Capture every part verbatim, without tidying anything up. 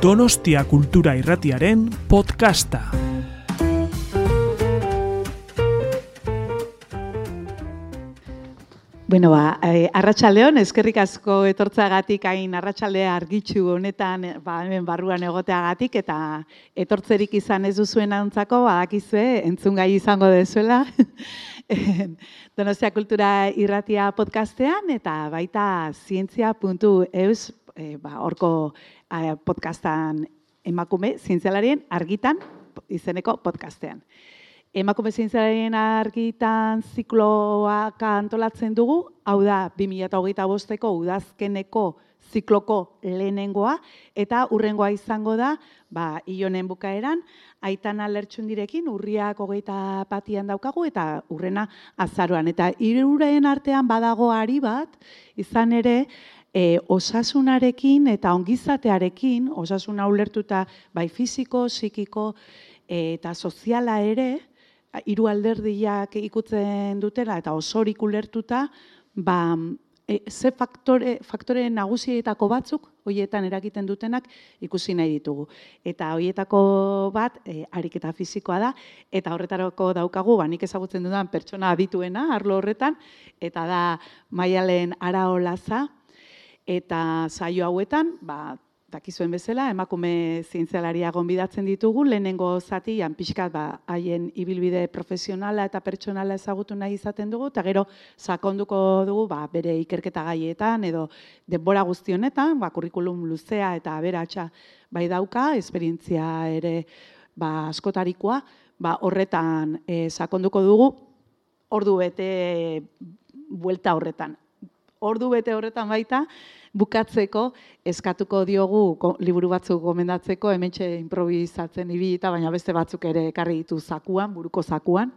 Donostia Kultura Irratiaren podcasta. Bueno, ba, eh, arratsaldeon, eskerrik asko etortzagatik hain arratsaldea argitsu honetan, ba, hemen barruan egoteagatik, eta etortzerik izan ez duzuen antzako, badakizue, entzungai izango dezuela, Donostia Kultura Irratia podcastean, eta baita zientzia puntu eus, eh, ba, horko eh, podcastan emakume zientzialarien argitan izeneko podcastean. Emakume zientzialarien argitan zikloak antolatzen dugu, hau da bi mila hogeita bosteko udazkeneko zikloko lehenengoa, eta hurrengoa izango da, ba, ilonen bukaeran, Aitana Lertxundirekin urriak hogeita batian daukagu, eta hurrena azaroan. Eta hiruren artean badago ari bat, izan ere, e, osasunarekin eta ongizatearekin, osasuna ulertuta bai fisiko, psikiko eta soziala ere, hiru alderdiak ikutzen dutela eta osorik ulertuta, ba, e, ze faktore, faktore nagusietako batzuk, horietan eragiten dutenak ikusi nahi ditugu. Eta horietako bat, e, ariketa fisikoa da, eta horretarako daukagu, ba, nik ezagutzen dudan pertsona adituena, arlo horretan, eta da Maialen Araolaza, eta saio hauetan, ba, dakizuen bezala, emakume zientzialaria gonbidatzen ditugu, lehenengo zatian pixkat ba, haien ibilbide profesionala eta pertsonala ezagutu nahi izaten dugu, eta gero sakonduko dugu ba, bere ikerketa gaietan edo denbora guzti honetan, ba, kurrikulum luzea eta aberatsa bai dauka, esperientzia ere ba, askotarikoa, ba, horretan e, sakonduko dugu, ordu bete buelta horretan. Ordu bete horretan baita, bukatzeko eskatuko diogu liburu batzuk gomendatzeko, hementxe improvisatzen ibilita, baina beste batzuk ere ekarri ditu zakuan, buruko zakuan,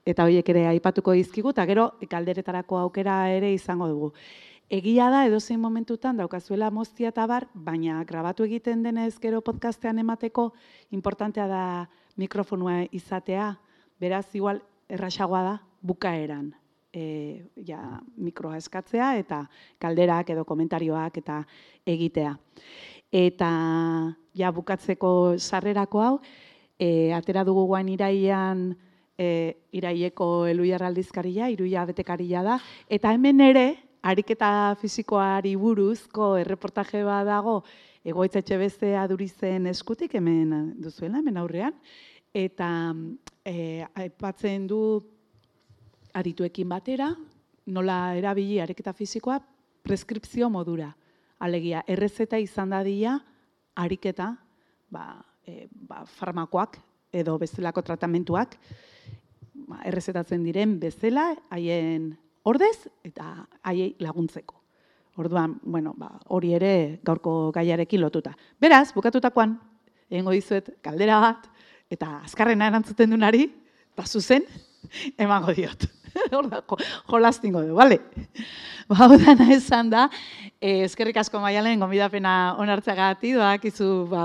eta horiek ere aipatuko dizkigu, eta gero galderetarako aukera ere izango dugu. Egia da, edozein momentutan daukazuela moztia eta bar, baina grabatu egiten denez gero podcastean emateko, importantea da mikrofonua izatea, beraz igual errasagoa da bukaeran. E, ja, mikroa eskatzea eta kalderak edo komentarioak eta egitea. Eta ja, bukatzeko sarrerako hau, e, atera dugu guain iraian e, iraieko Eluiar aldizkaria, hiruia betekaria da, eta hemen ere, ariketa fisikoari buruzko erreportaje bat dago, Egoitza Etxebeste Adurizen eskutik, hemen duzuela, hemen aurrean, eta e, aipatzen du adituekin batera, nola erabili ariketa fisikoa preskripzio modura. Alegia, errezeta izan dadila ariketa, ba, e, ba, farmakoak edo bestelako tratamentuak ba, errezetatzen diren bezala, haien ordez eta haiei laguntzeko. Orduan, bueno, ba, hori ere gaurko gaiarekin lotuta. Beraz, bukatutakoan, egingo dizuet galdera bat, eta azkarrena erantzuten dunari, eta zuzen, emango diot. Hor da, jolastingo du, bale? Ba, dana esan da, eh, eskerrik asko Maialen, gonbidapena onartzeagatik, doakizu ba,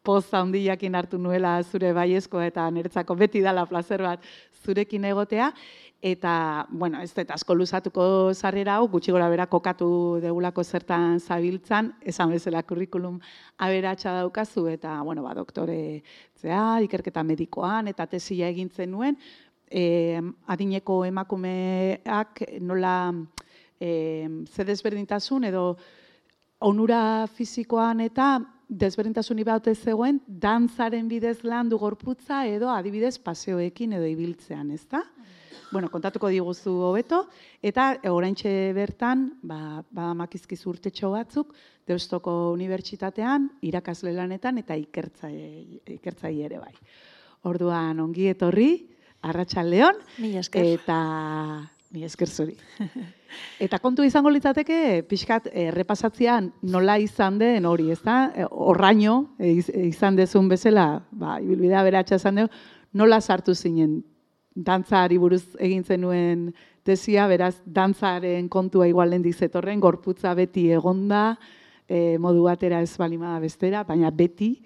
poza handiakin hartu nuela zure baiezkoa eta niretzako beti dala plazer bat zurekin egotea, eta, bueno, ez da, asko luzatuko sarrera hau, gutxi gora bera kokatu degulako zertan zabiltzan, esan bezala kurrikulum aberatsa daukazu, eta, bueno, ba, doktore, zea, ikerketa medikoan, eta tesia egintzen nuen, Eh, adineko emakumeak nola eh, ze desberdintasun edo onura fisikoan eta desberdintasuni bat zegoen dantzaren bidez landu gorputza edo adibidez paseoekin edo ibiltzean, ezta? Bueno, kontatuko diguzu hobeto, eta oraintxe bertan, ba, badamakizkizu urtetxo batzuk, Deustoko Unibertsitatean, irakasle lanetan eta ikertzaile ere bai. Orduan, ongi etorri, arratsaldeon, eta mila esker zuri. Eta kontu izango litzateke, pixkat errepasatzean nola izan den hori, ez da? Horraino izan dezun bezala, ba, ibilbidea beratxa izan dugu, nola sartu zinen dantzari buruz egin zenuen tesia, beraz, dantzaren kontua igualen dizetorren, gorputza beti egonda, e, modu batera ez balima bestera, baina beti,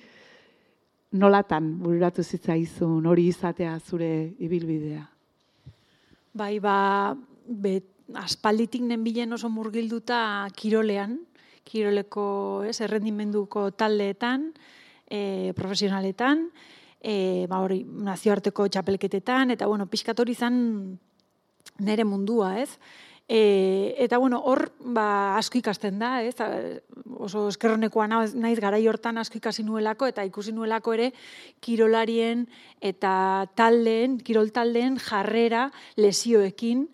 nolatan bururatu zitzaizun hori izatea zure ibilbidea? Bai, ba, bet, aspalditik nenbilen oso murgilduta kirolean, kiroleko, ez, errendimenduko taldeetan, e, profesionaletan, e, ba hori, nazioarteko txapelketetan, eta bueno, pixkat hori izan nere mundua, ez? E, eta bueno, hor ba, asko ikasten da, ez? Oso eskerronekoa naiz garai hortan asko ikasi nuelako, eta ikusi nuelako ere kirolarien eta taldeen, kirol taldeen jarrera lesioekin,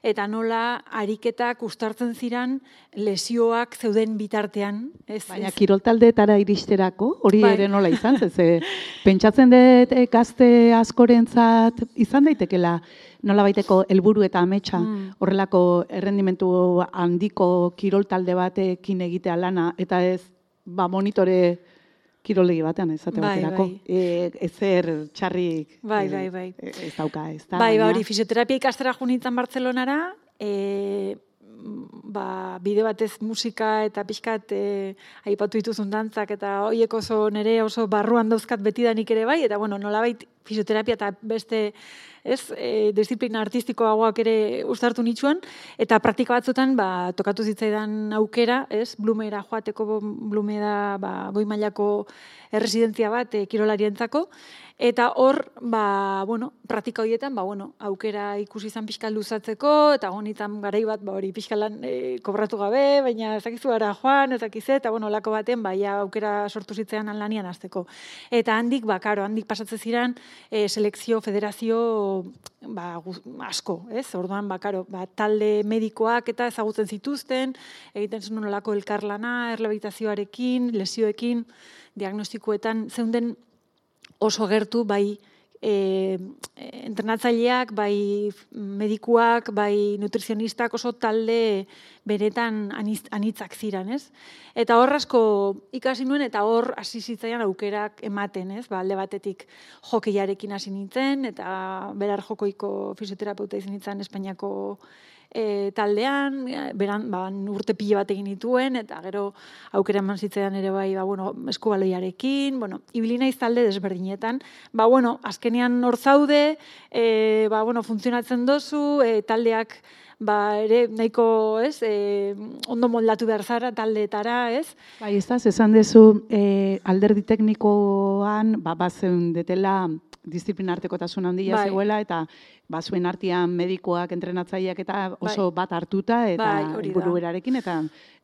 eta nola ariketak uztartzen ziran lesioak zeuden bitartean. Ez, Baina ez. kirol taldeetara iristerako, hori Bai. ere nola izan, ze pentsatzen dut eh, gazte askorentzat izan daitekela nola baiteko helburu eta ametsa Mm. horrelako errendimentu handiko kirol talde batekin egitea lana, eta ez ba, monitore kirolegi batean ezate Bai, baterako. bai. E, ezer txarrik Bai, eh, bai, bai. ez dauka, ez da. Bai, ba, baina- hori, fisioterapia ikastera junitzen Bartzelonara, e, ba, bide batez musika eta pixkat e, aipatu dituzun dantzak, eta horiek oso nere oso barruan dauzkat betidanik ere bai, eta bueno, nolabait fisioterapia eta beste ez, e, disiplina artistikoagoak ere uztartu nitsuan, eta praktika batzutan ba, tokatu zitzaidan aukera, ez, Blumera joateko, Blume da ba, goi mailako erresidentzia bat e, kirolarientzako, eta hor, ba, bueno, praktika horietan, ba, bueno, aukera ikusi izan pixka luzatzeko, eta gonitan garai bat, ba, hori pixka lan e, kobratu gabe, baina ezakizu gara joan, ezakize, eta bueno, lako baten, ba, ja, aukera sortu zitzean lanian hasteko. Eta handik, ba, karo, handik pasatzen ziren e, selekzio, federazio, ba, guz, asko, ez? Orduan, ba, karo, ba, talde medikoak eta ezagutzen zituzten, egiten zuen nolako elkarlana, errehabilitazioarekin, lesioekin, diagnostikoetan, zeunden oso gertu, bai e, entrenatzaileak, bai medikuak, bai nutrizionistak oso talde benetan aniz, anitzak ziren, ez? Eta hor asko ikasi nuen, eta hor hasi zitzaian aukerak ematen, ez? Ba, alde batetik jokeiarekin hasi nintzen, eta berar jokoiko fisioterapeuta izan nintzen Espainiako E, taldean, beran, ba, urte pile bat egin dituen, eta gero aukera eman zitzaidan ere bai, ba, bueno, eskubaloiarekin, bueno, ibili naiz talde desberdinetan, ba, bueno, azkenean hor zaude, e, ba, bueno, funtzionatzen dozu, e, taldeak, ba, ere, nahiko, ez, e, ondo moldatu behar zara taldeetara, ez? Bai, ez da, esan dezu eh, alderdi teknikoan, ba, bazen detela disiplina artekotasun handia Bai. zegoela, eta bazuen artean medikoak, entrenatzaileak eta oso Bai. bat hartuta, eta Bai, hori da. helburu berarekin, eta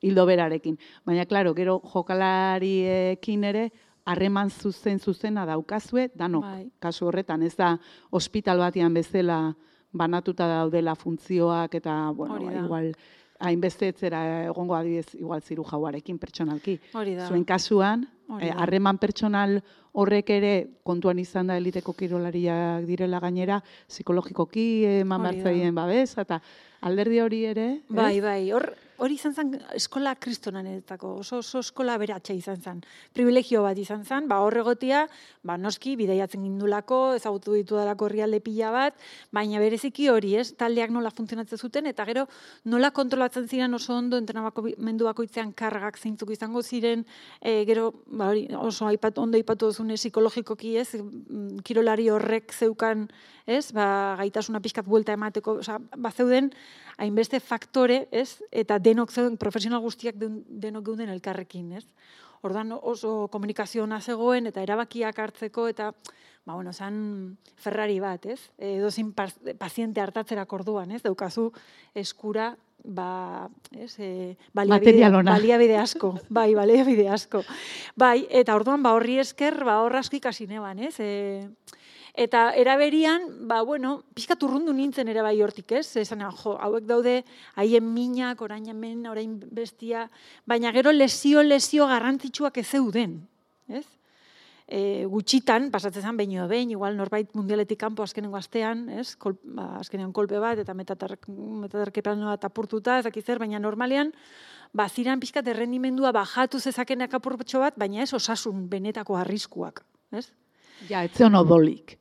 hildo berarekin. Baina, klaro, gero jokalariekin ere, harreman zuzen zuzena daukazue, danok, Bai. kasu horretan, ez da ospital batean bezala banatuta daudela funtzioak, eta, bueno, Hori da. igual, hainbeste etzera egongo adibidez, igual ziru jauarekin pertsonalki. Hori da. Zuen kasuan, Hori eh, da. harreman pertsonal horrek ere kontuan izan da eliteko kirolariak direla gainera, psikologikoki eman Hori da. bertzaien babes, eta alderdi hori ere, ez? Bai, bai, hor, hori izan zen eskola kristonanetako, oso, oso eskola beratxa izan zen. Privilegio bat izan zen, ba, hor egotia, ba, noski, bidaiatzen gindulako, ezagutu ditu dalako herrialde pila bat, baina bereziki hori, ez, taldeak nola funtzionatzen zuten, eta gero nola kontrolatzen ziren oso ondo entrenamendu bakoitzean kargak zeintzuk izango ziren, e, gero, ba, hori, oso aipat, ondo aipatu duzune psikologikoki, ez, mm, kirolari horrek zeukan, ez, ba, gaitasuna pixkat buelta emateko, osea, ba, zeuden, hainbeste faktore, ez, eta denok zeuden, profesional guztiak den- denok geuden elkarrekin, ez. Orduan oso komunikazio ona zegoen, eta erabakiak hartzeko, eta, ba, bueno, zan Ferrari bat, ez, edozin paziente hartatzerak orduan, ez, daukazu eskura, ba, ez, e, baliabide, Material ona. baliabide asko, bai, baliabide asko. Bai, eta orduan, ba, horri esker, ba, hor asko ikasi neban, ez, e, eta eraberian, ba, bueno, pixkat urrundu nintzen ere bai hortik, ez? Esan, jo, hauek daude, haien minak, orain hemen, orain bestia, baina gero lesio-lesio garrantzitsuak ez zeuden, ez? E, gutxitan, pasatzen zen behin edo behin, igual norbait mundialetik kanpo azkenengo astean, ez? Kol, ba, azkenean kolpe bat, eta metatarkepan bat apurtuta, ez dakiz zer, baina normalean, ba, ziran pixkat errendimendua bajatu zezakenak apurtxo bat, baina ez osasun benetako arriskuak, ez? Ja, etzion odolik.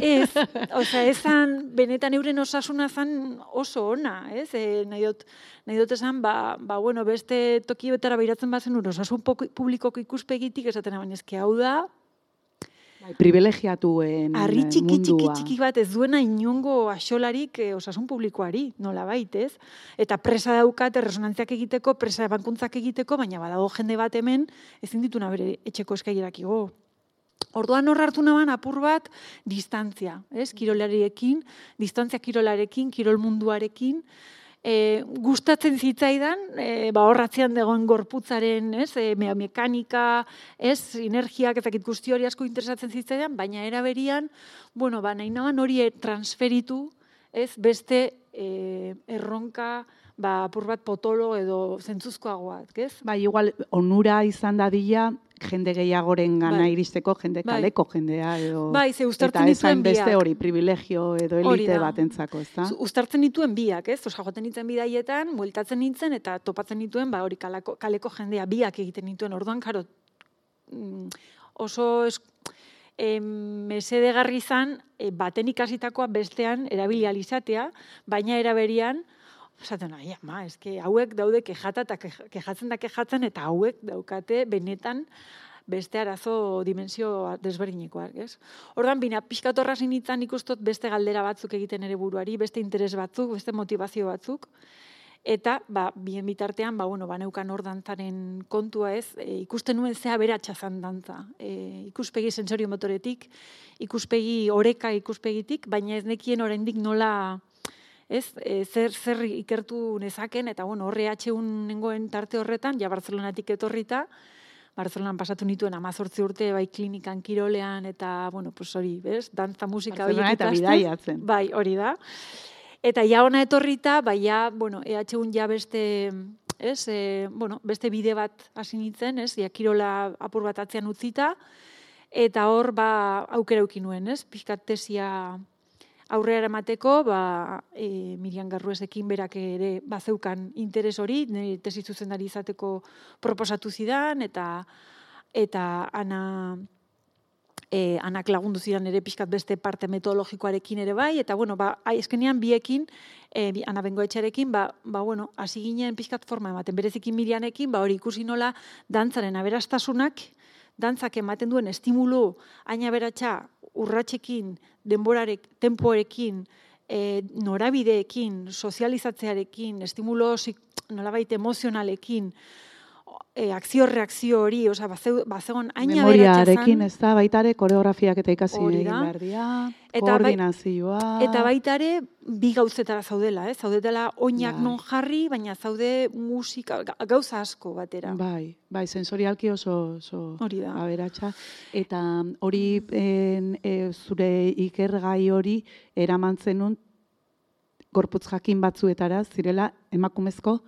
Ez, osea, ezan, benetan euren osasuna zan oso ona, ez? E, nahi dut, nahi dut esan, ba, ba, bueno, beste tokietara behiratzen bazen ur, osasun publikoko ikuspegitik esaten baina eske hau da, Bai, privilegiatuen harri txiki, txiki, mundua. txiki bat ez duena inongo axolarik e, osasun publikoari, nola ez? Eta presa daukat, erresonantziak egiteko, presa bankuntzak egiteko, baina badago jende bat hemen, ezin dituna bere etxeko eskailerak igo. Orduan hor hartu naban apur bat distantzia, ez? Kirolariekin, distantzia kirolarekin, kirol munduarekin, e, gustatzen zitzaidan, e, ba horratzean dagoen gorputzaren, ez? E, me mekanika, ez? Sinergiak ezakit guzti hori asko interesatzen zitzaidan, baina era berian, bueno, ba nahi naban hori transferitu, ez? Beste e, erronka, ba apur bat potolo edo zentzuzkoagoak, ez? Bai, igual onura izan dadila jende gehiagoren gana bai. iristeko, jende kaleko bai. jendea edo bai, ze eta esan beste hori privilegio edo elite batentzako, ezta? Uztartzen dituen biak, ez? Osa, joten nintzen bidaietan, bueltatzen nintzen eta topatzen dituen, ba hori kaleko, kaleko jendea biak egiten dituen. Orduan, karo, oso es, e, mesedegarri izan e, baten ikasitakoa bestean erabili alizatea, baina eraberian esaten, ai, ama, eske hauek daude kejata eta kejatzen da kejatzen eta hauek daukate benetan beste arazo dimensio desberdinekoak, ez? Ordan bina pixkat horra sinitzen ikustot beste galdera batzuk egiten ere buruari, beste interes batzuk, beste motivazio batzuk. Eta, ba, bien bitartean, ba, bueno, ba, neukan hor dantzaren kontua ez, e, ikusten nuen zea beratxa zan dantza. E, ikuspegi sensorio motoretik, ikuspegi oreka ikuspegitik, baina ez nekien oraindik nola... Ez, e, zer, zer ikertu nezaken, eta bueno, horre atxeun nengoen tarte horretan, ja Barcelonatik etorrita, Barcelonan pasatu nituen amazortzi urte, bai klinikan kirolean, eta, bueno, pues hori, bez, dantza musika horiek ikasten. Barcelona eta bidaiatzen. Bai, hori da. Eta ja ona etorrita, bai, ja, bueno, E H un ja beste, ez, e, bueno, beste bide bat hasi nintzen, ez, ja kirola apur bat atzean utzita, eta hor, ba, aukera eukin nuen, ez, pixkat tesia aurrera emateko, ba, e, Miriam Garruesekin berak ere bazeukan interes hori, nire tesi zuzendari izateko proposatu zidan, eta eta ana, e, anak lagundu zidan ere pixkat beste parte metodologikoarekin ere bai, eta bueno, ba, eskenean biekin, e, Ana Bengoetxearekin, ba, ba, bueno, hasi ginen pixkat forma ematen, berezikin Mirianekin, ba, hori ikusi nola dantzaren aberastasunak, dantzak ematen duen estimulu aina beratxa urratsekin, denborarek, tempoekin, e, norabideekin, sozializatzearekin, estimulo nolabait emozionalekin, e, akzio-reakzio hori, oza, bazegon aina beratxa zan. Memoriarekin ez da, baitare koreografiak eta ikasi egin behar dira, koordinazioa. Eta baitare bi gauzetara zaudela, eh? Zaudetela oinak bai. Non jarri, baina zaude musika, gauza asko batera. Bai, bai, sensorialki oso, oso aberatsa. Eta hori en, e, zure ikergai hori eramantzen nun gorputz jakin batzuetara zirela emakumezko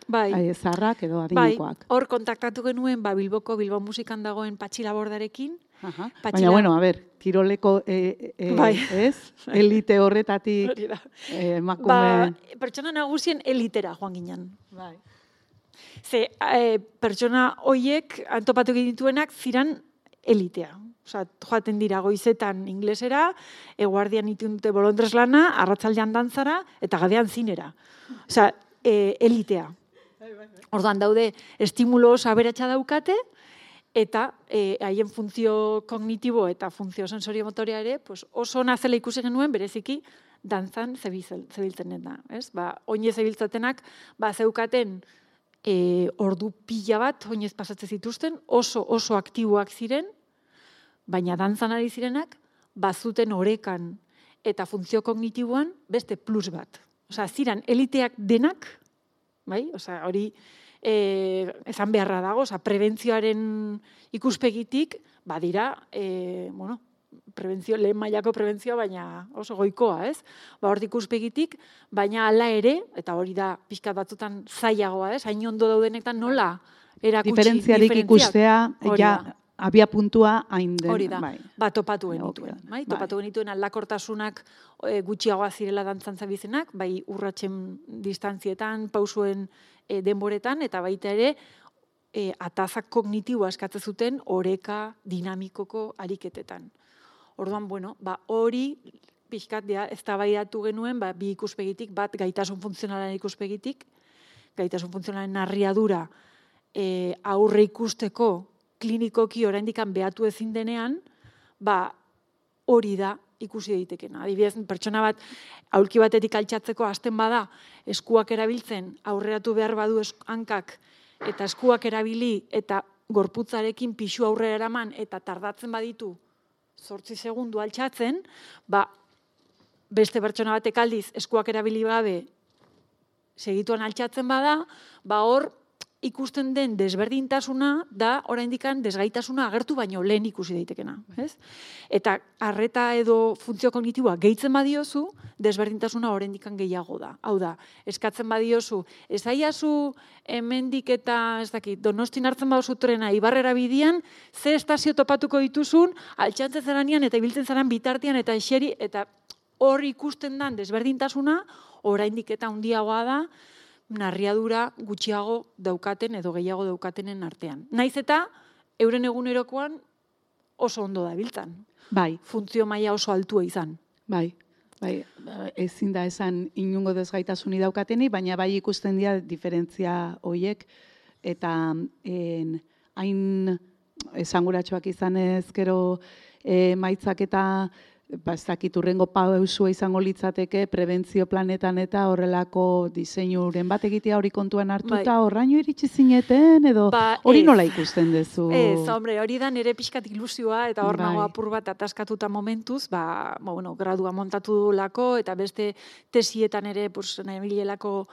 bai. Zaharrak edo adinekoak. Bai, hor kontaktatu genuen ba, Bilboko, Bilbao musikan dagoen Patxi Labordarekin. Aha. Baina, bueno, a ber, kiroleko e, e, bai. Ez, elite horretatik e, emakume... Ba, pertsona nagusien elitera joan ginen. Bai. Ze, e, pertsona hoiek antopatu dituenak ziran elitea. Osa, joaten dira goizetan inglesera, eguardian itun dute bolondrez lana, arratzaldean dantzara, eta gadean zinera. Osa, e, elitea. Orduan daude, estimulo oso aberatsa daukate, eta e, haien funtzio kognitibo eta funtzio sensorio motorea ere, pues oso nazela ikusi genuen, bereziki, dantzan zebiltzen da. Ba, oinez zebiltzatenak, ba, zeukaten e, ordu pila bat, oinez pasatzen zituzten, oso oso aktiboak ziren, baina dantzan ari zirenak, bazuten orekan eta funtzio kognitiboan beste plus bat. Osa, ziran eliteak denak, bai, osa, hori e, esan beharra dago, osa, prebentzioaren ikuspegitik, badira, e, bueno, prebentzio, lehen mailako prebentzioa, baina oso goikoa, ez? Ba, hor ikuspegitik, baina hala ere, eta hori da pixkat batzutan zailagoa, ez? Hain ondo daudenetan nola erakutsi diferentziarik ikustea, ja, abia puntua hain den. Hori da, bai. Ba, topatu genituen. Bai? Topatu bai. genituen aldakortasunak e, gutxiagoa zirela dantzantza bizenak, bai urratsen distantzietan, pausuen e, denboretan, eta baita ere, e, atazak kognitiboa eskatzen zuten oreka dinamikoko ariketetan. Orduan, bueno, ba, hori pixkat ez da baidatu genuen, ba, bi ikuspegitik, bat gaitasun funtzionalaren ikuspegitik, gaitasun funtzionalaren narriadura e, aurre ikusteko klinikoki oraindikan behatu ezin denean, ba, hori da ikusi daitekena. Adibidez, pertsona bat aulki batetik altxatzeko hasten bada, eskuak erabiltzen, aurreratu behar badu hankak, eta eskuak erabili, eta gorputzarekin pixu aurrera eraman, eta tardatzen baditu, zortzi segundu altxatzen, ba, beste pertsona batek aldiz eskuak erabili gabe segituan altxatzen bada, ba hor ikusten den desberdintasuna da oraindikan desgaitasuna agertu baino lehen ikusi daitekena, ez? Eta arreta edo funtzio kognitiboa gehitzen badiozu, desberdintasuna oraindikan gehiago da. Hau da, eskatzen badiozu, esaiazu hemendik eta ez dakit, Donostin hartzen baduzu trena Ibarrera bidian, ze estazio topatuko dituzun, altxatzen zeranean eta ibiltzen zeran bitartean eta eseri eta hor ikusten den desberdintasuna oraindik eta handiagoa da, narriadura gutxiago daukaten edo gehiago daukatenen artean. Naiz eta euren egunerokoan oso ondo dabiltzan. Bai. Funtzio maila oso altua izan. Bai. Bai, ezin da esan inungo desgaitasuni daukateni, baina bai ikusten dira diferentzia hoiek eta en, hain esanguratsuak izanez gero e, maitzak eta ba, ez dakit urrengo pausua izango litzateke prebentzio planetan eta horrelako diseinuren bat egitea hori kontuan hartuta, bai. Horraino iritsi zineten edo ba, hori nola ikusten duzu? Ez, hombre, hori da nire pixkat ilusioa eta hor bai. Nago apur bat ataskatuta momentuz, ba, bueno, gradua montatu lako eta beste tesietan ere, pues, nahi bilelako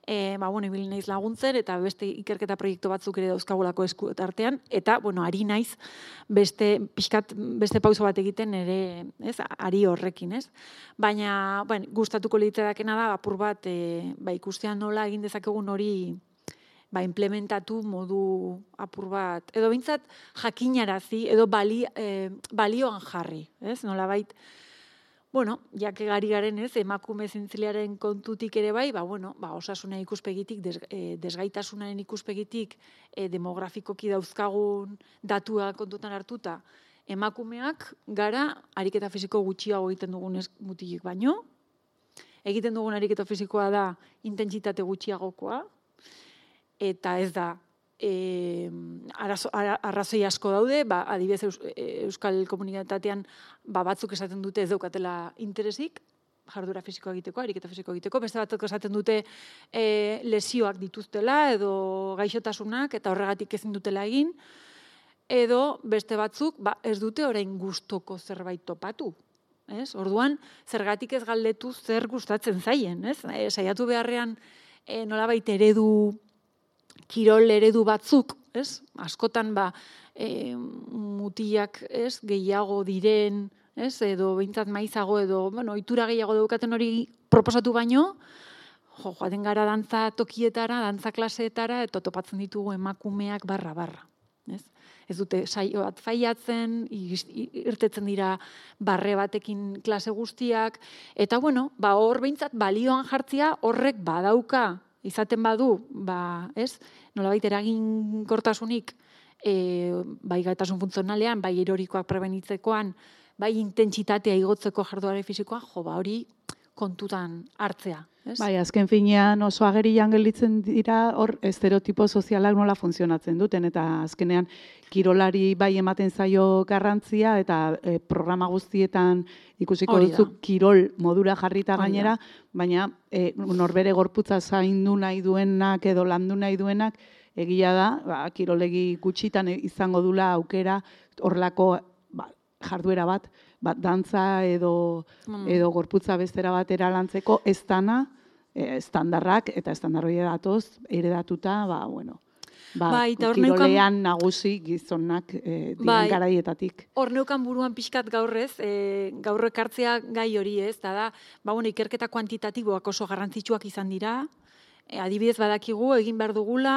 E, ba, bueno, ibil naiz laguntzen, eta beste ikerketa proiektu batzuk ere dauzkagulako esku artean, eta, bueno, ari naiz beste, pixkat, beste pauso bat egiten ere, ez, ari horrekin, ez? Baina, bueno, gustatuko litzatekena da, apur bat, e, ba, ikustean nola egin dezakegun hori, ba, implementatu modu apur bat, edo bintzat jakinarazi, edo bali, e, balioan jarri, ez? Nola bait, bueno, jake gari garen ez, emakume zintzilearen kontutik ere bai, ba, bueno, ba, osasuna ikuspegitik, des, e, desgaitasunaren ikuspegitik, e, demografikoki dauzkagun datua kontutan hartuta, emakumeak gara ariketa fisiko gutxiago egiten dugun mutilik baino, egiten dugun ariketa fisikoa da intentsitate gutxiagokoa, eta ez da, E, arazo, arrazoi asko daude, ba, adibidez Eus, Euskal Komunitatean ba, batzuk esaten dute ez daukatela interesik, jardura fisikoa egiteko, ariketa fisikoa egiteko, beste batzuk esaten dute e, lesioak dituztela edo gaixotasunak eta horregatik ezin dutela egin, edo beste batzuk ba, ez dute orain gustoko zerbait topatu. Ez? Orduan, zergatik ez galdetu zer gustatzen zaien, ez? E, saiatu beharrean e, nolabait eredu kirol eredu batzuk, ez? Askotan ba, e, mutilak, ez? Gehiago diren, ez? Edo behintzat maizago edo, bueno, ohitura gehiago daukaten hori proposatu baino, jo, joaten gara dantza tokietara, dantza klaseetara, eta topatzen ditugu emakumeak barra barra, ez? Ez dute saio bat faiatzen, irtetzen dira barre batekin klase guztiak, eta bueno, ba hor behintzat balioan jartzia horrek badauka, izaten badu, ba, ez, nolabait eraginkortasunik e, bai gaitasun funtzionalean, bai erorikoak prebenitzekoan, bai intentsitatea igotzeko jarduera fisikoa, jo, ba, hori kontutan hartzea. Ez? Bai, azken finean oso agerian gelditzen dira hor estereotipo sozialak nola funtzionatzen duten, eta azkenean kirolari bai ematen zaio garrantzia, eta e, programa guztietan ikusiko duzu kirol modura jarrita gainera, baina e, norbere gorputza zaindu nahi duenak edo landu nahi duenak, egia da, ba, kirolegi gutxitan izango dula aukera horrelako ba, jarduera bat, bat dantza edo, mm. edo gorputza bestera batera lantzeko, ez dana, e, estandarrak, eta estandarroia datoz, eredatuta, ba, bueno, ba, bai, kirolean nagusi gizonak e, diren bai, garaietatik. Hor neukan buruan pixkat gaurrez, e, gaur ekartzea gai hori ez, da da, ba, bueno, ikerketa kuantitatiboak oso garrantzitsuak izan dira, e, adibidez badakigu, egin behar dugula,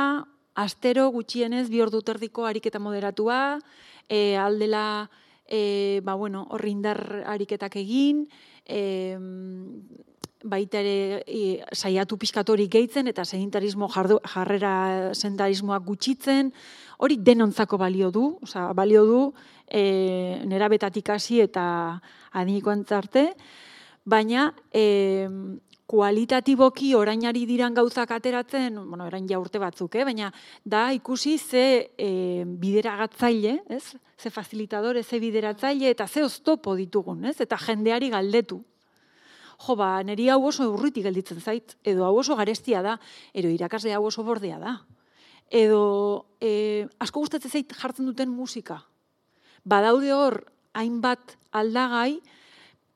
astero gutxienez bi ordu terdiko ariketa moderatua, e, aldela, e, ba, bueno, horri indar ariketak egin, e, baita ere e, saiatu pixkatori gehitzen eta sedentarismo jardu, jarrera sedentarismoak gutxitzen, hori denontzako balio du, osea, balio du e, nerabetatik hasi eta adinikoan arte, baina e, kualitatiboki orainari diran gauzak ateratzen, bueno, orain ja urte batzuk, eh? Baina da ikusi ze e, bideragatzaile, ez? Ze facilitadore, ze bideratzaile eta ze oztopo ditugun, ez? Eta jendeari galdetu. Jo, ba, niri hau oso urritik gelditzen zait, edo hau oso garestia da, edo irakasle hau oso bordea da. Edo e, asko gustatzen zait jartzen duten musika. Badaude hor hainbat aldagai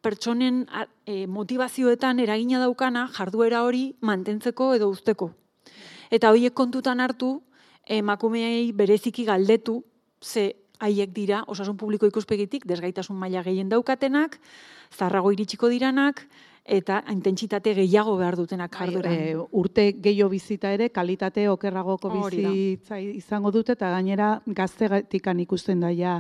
pertsonen e, motivazioetan eragina daukana jarduera hori mantentzeko edo uzteko. Eta horiek kontutan hartu, emakumeei bereziki galdetu, ze haiek dira, osasun publiko ikuspegitik, desgaitasun maila gehien daukatenak, zarrago iritsiko diranak, eta intentsitate gehiago behar dutenak jardueran. E, urte gehiago bizita ere, kalitate okerragoko bizitza izango dute, eta gainera gaztegatikan ikusten daia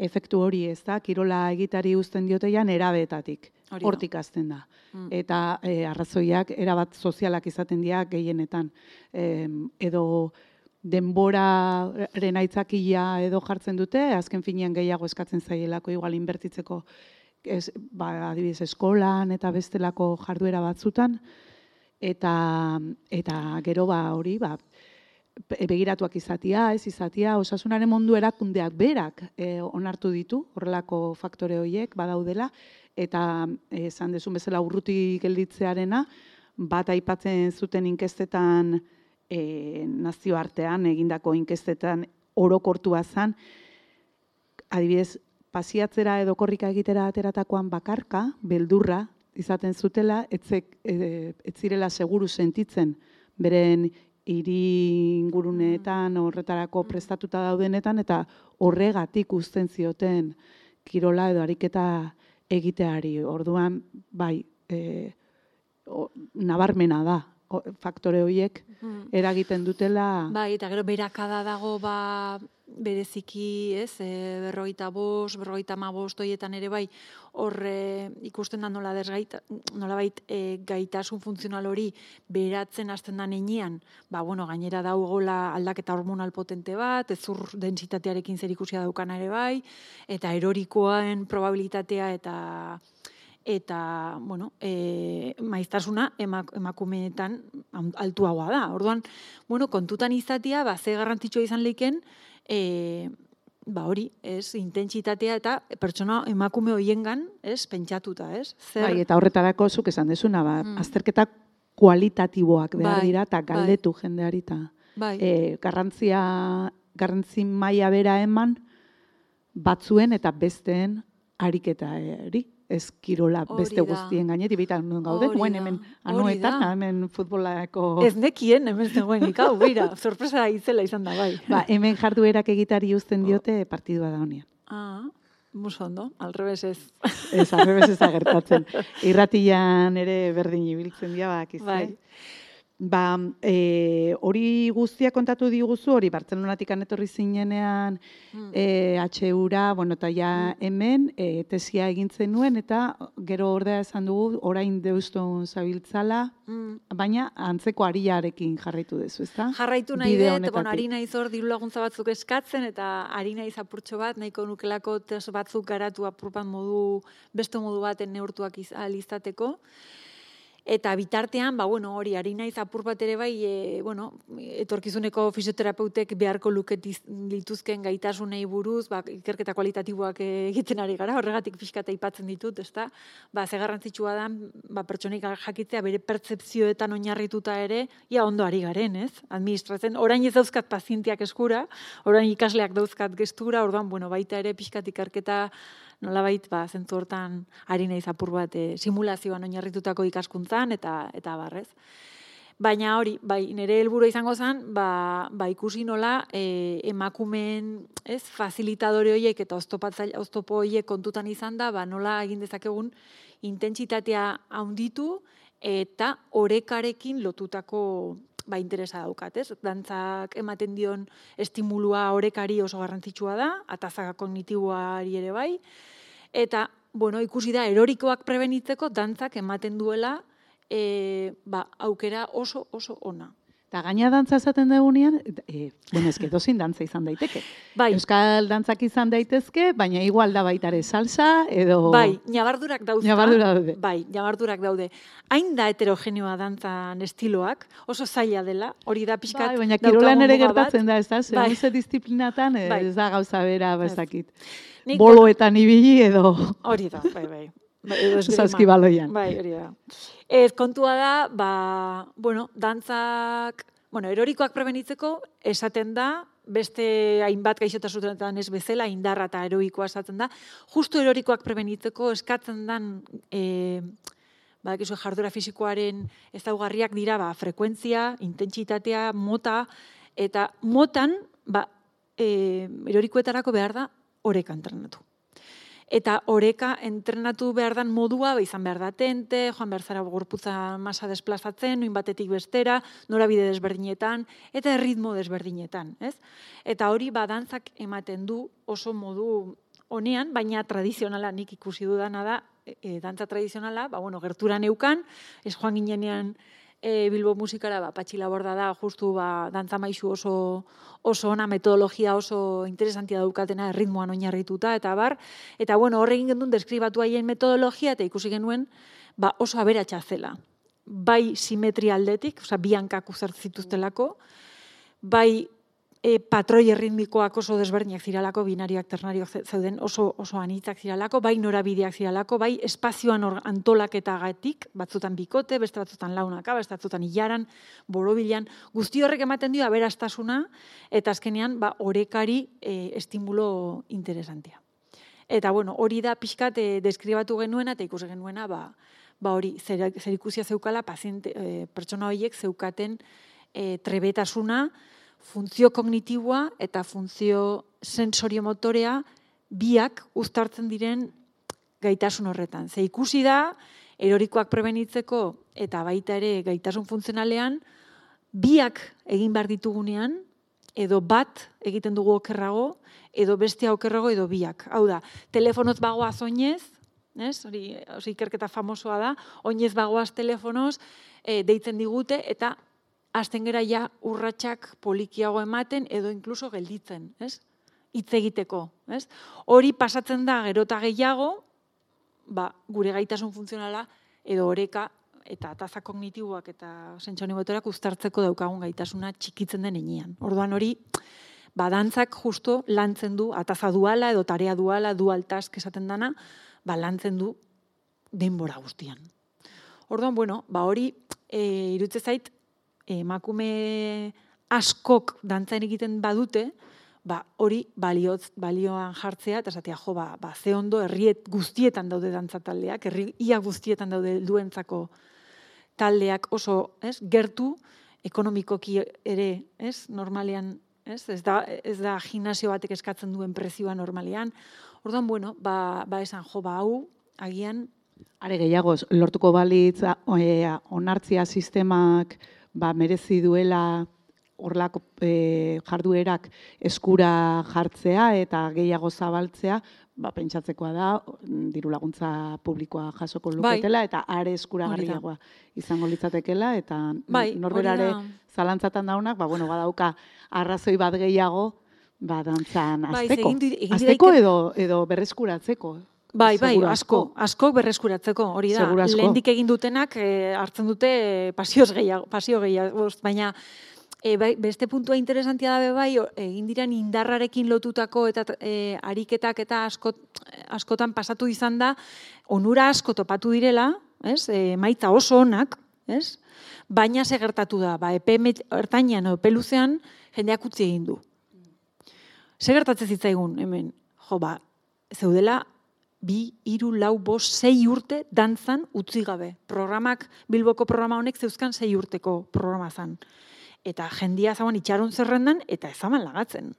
efektu hori, ez da, kirola egitari uzten diotean erabeetatik, hortik azten da. Mm. Eta e, arrazoiak erabat sozialak izaten dira gehienetan. E, edo denboraren aitzakia edo jartzen dute, azken finean gehiago eskatzen zaielako igual inbertitzeko ez, ba, adibidez eskolan eta bestelako jarduera batzutan, eta, eta gero ba hori, ba, begiratuak izatia, ez izatia, osasunaren mundu erakundeak berak e, onartu ditu, horrelako faktore horiek badaudela, eta esan e, dezun bezala urruti gelditzearena, bat aipatzen zuten inkestetan e, nazioartean, egindako inkestetan orokortua zen, adibidez, pasiatzera edo korrika egitera ateratakoan bakarka, beldurra izaten zutela, etzek, e, etzirela seguru sentitzen, beren hiri inguruneetan horretarako prestatuta daudenetan, eta horregatik uzten zioten kirola edo ariketa egiteari. Orduan, bai, e, o, nabarmena da, o, faktore horiek eragiten dutela. Bai, eta gero berakada dago, ba, bereziki, ez, e, berrogeita bost, berrogeita hamabost horietan ere bai, hor e, ikusten da nola desgaita, nolabait e, gaitasun funtzional hori beratzen hasten da heinean, ba, bueno, gainera daugola aldaketa hormonal potente bat, ezur densitatearekin zerikusia daukana ere bai, eta erorikoen probabilitatea eta eta, bueno, e, maiztasuna emak, emakumeetan altuagoa da. Orduan, bueno, kontutan izatea, ba, ze garrantzitsua izan leiken, e, ba hori, ez, intentsitatea eta pertsona emakume hoiengan, ez, pentsatuta, ez? Zer... Bai, eta horretarako zuk esan dezuna, ba, mm. azterketa kualitatiboak behar bai, dira, eta galdetu bai. jendeari, eta bai. e, garrantzia, garrantzi maila bera eman, batzuen eta besteen ariketari. Ez kirola beste guztien gainetik, baita non gaude, guen hemen anuetan, hemen futbolako... Ez nekien, hemen zegoen ikau, beira, sorpresa izela izan da, bai. Ba, hemen jarduerak egitari uzten diote partidua da honean. Ah, muso ondo, alrebes ez. Ez, alrebes ez agertatzen. Irratian ere berdin ibiltzen dira, bak, izte. Bai. Ba, e, hori guztia kontatu diguzu, hori Bartzelonatik etorri zinenean mm. e, H U-ra, bueno, eta ja hemen e, tesia egintzen nuen, eta gero ordea esan dugu, orain Deuston zabiltzala, mm. baina antzeko ariarekin jarraitu dezu, ezta? Jarraitu nahi dut, bon, ari naiz hor diru laguntza batzuk eskatzen, eta ari naiz apurtxo bat, nahiko nukelako tes batzuk garatu apurpan modu, beste modu baten neurtuak izateko. Eta bitartean, ba, bueno, hori, ari naiz apur bat ere bai, e, bueno, etorkizuneko fisioterapeutek beharko luket lituzken gaitasunei buruz, ba, ikerketa kualitatiboak egiten ari gara, horregatik pixkata aipatzen ditut, ezta? Ba, ze garrantzitsua da, ba, pertsonik jakitzea bere pertzepzioetan oinarrituta ere, ia ondo ari garen, ez? Administratzen, orain ez dauzkat pazienteak eskura, orain ikasleak dauzkat gestura, orduan, bueno, baita ere pixkat ikerketa nolabait, ba, zentzu hortan ari naiz apur bat e, simulazioan oinarritutako ikaskuntzan eta eta barrez. Baina hori, bai, nire helburua izango zen, ba, ba ikusi nola e, emakumeen, ez, fasilitadore horiek eta oztopatzaile oztopo horiek kontutan izan da, ba, nola egin dezakegun intentsitatea handitu eta orekarekin lotutako ba, interesa daukat, ez? Dantzak ematen dion estimulua orekari oso garrantzitsua da, ataza kognitiboari ere bai, eta, bueno, ikusi da, erorikoak prebenitzeko dantzak ematen duela e, ba, aukera oso, oso ona. Eta gaina dantza esaten dugunean, e, bueno, ezke dozin dantza izan daiteke. Bai. Euskal dantzak izan daitezke, baina igual da baitare salsa, edo... Bai, nabardurak daude. Nabardura daude. Bai, nabardurak daude. Hain da heterogeneoa dantzan estiloak, oso zaila dela, hori da pixkat... Bai, baina kirolan ere gertatzen da, ez da? Bai. Ze disiplinatan ez bai. da gauza bera, bezakit. Boloetan ibili edo... Hori da, bai, bai. Zazkibaloian. Bai, hori da. Ez, kontua da, ba, bueno, dantzak, bueno, erorikoak prebenitzeko, esaten da, beste hainbat gaixotasunetan ez bezala, indarra eta eroikoa esaten da. Justu erorikoak prebenitzeko eskatzen dan e, badakizu jarduera fisikoaren ezaugarriak dira ba, frekuentzia, intentsitatea, mota, eta motan ba, e, erorikoetarako behar da oreka entrenatu. Eta oreka entrenatu behar dan modua, ba, izan behar da tente, joan behar zara gorputza masa desplazatzen, noin batetik bestera, norabide desberdinetan, eta erritmo desberdinetan. Ez? Eta hori ba, dantzak ematen du oso modu honean, baina tradizionala nik ikusi dudana da, e, dantza tradizionala, ba, bueno, gertura neukan, ez joan ginenean e, Bilbo musikara, ba, Patxi Laborda da, justu ba, dantza maisu oso, oso ona, metodologia oso interesantia daukatena, erritmoan oinarrituta, eta bar, eta bueno, horregin gendun deskribatu haien metodologia, eta ikusi genuen, ba, oso aberatsa zela. Bai simetria aldetik, osea, bi hankak uzartzituztelako, bai E, patroi erritmikoak oso desberdinak ziralako, binarioak, ternarioak zeuden oso, oso anitzak ziralako, bai norabideak ziralako, bai espazioan antolaketagatik, batzutan bikote, beste batzutan launaka, beste batzutan hilaran, borobilan, guzti horrek ematen dio aberastasuna, eta azkenean ba, orekari e, estimulo interesantia. Eta bueno, hori da pixkat e, deskribatu genuena, eta ikusi genuena, ba, ba hori, zer, zer ikusia zeukala, paziente, e, pertsona horiek zeukaten e, trebetasuna, funtzio kognitiboa eta funtzio sensoriomotorea biak uztartzen diren gaitasun horretan. Ze ikusi da, erorikoak prebenitzeko eta baita ere gaitasun funtzionalean, biak egin behar ditugunean, edo bat egiten dugu okerrago, edo bestea okerrago, edo biak. Hau da, telefonoz bagoaz oinez, ez? Hori, hori ikerketa famosoa da, oinez bagoaz telefonoz, e, deitzen digute, eta hasten gera ja urratsak polikiago ematen edo inkluso gelditzen, ez? Hitz egiteko, ez? Hori pasatzen da gerota gehiago, ba, gure gaitasun funtzionala edo oreka eta ataza kognitiboak eta sentsonimotorak uztartzeko daukagun gaitasuna txikitzen den heinean. Orduan hori, ba, dantzak justo lantzen du ataza duala edo tarea duala, dual task esaten dana, ba, lantzen du denbora guztian. Orduan, bueno, ba, hori e, irutze zait, emakume askok dantzan egiten badute, ba, hori balioz, balioan jartzea, eta esatea, jo, ba, ba, ze ondo herriet guztietan daude dantzataldeak, herri ia guztietan daude helduentzako taldeak oso, ez, gertu, ekonomikoki ere, ez, normalean, ez, ez da, ez da gimnasio batek eskatzen duen prezioa normalean. Orduan, bueno, ba, ba esan, jo, ba, hau, agian, are gehiago, lortuko balitz, onartzia sistemak, ba, merezi duela horlako e, jarduerak eskura jartzea eta gehiago zabaltzea, ba, pentsatzekoa da, diru laguntza publikoa jasoko luketela, bai, eta are eskuragarriagoa izango litzatekela, eta bai, norberare zalantzatan daunak, ba, bueno, badauka arrazoi bat gehiago, ba, dantzan azteko. Bai, azteko edo, edo berreskuratzeko. Bai, bai, asko, asko berreskuratzeko, hori da. Lehendik egin dutenak e, hartzen dute e, pasioz gehiago, pasio gehiago, baina e, bai, beste puntua interesantia da bai, egin diren indarrarekin lotutako eta e, ariketak eta askot, askotan pasatu izan da, onura asko topatu direla, ez? E, maitza oso onak, ez? Baina ze gertatu da, ba, epe ertainean o epe luzean jendeak utzi egin du. Ze gertatzen zitzaigun, hemen, jo, ba, zeudela, bi, hiru, lau, bost, sei urte dantzan utzi gabe. Programak, Bilboko programa honek zeuzkan sei urteko programa zan. Eta jendia zaban itxaron zerrendan eta ezaman lagatzen.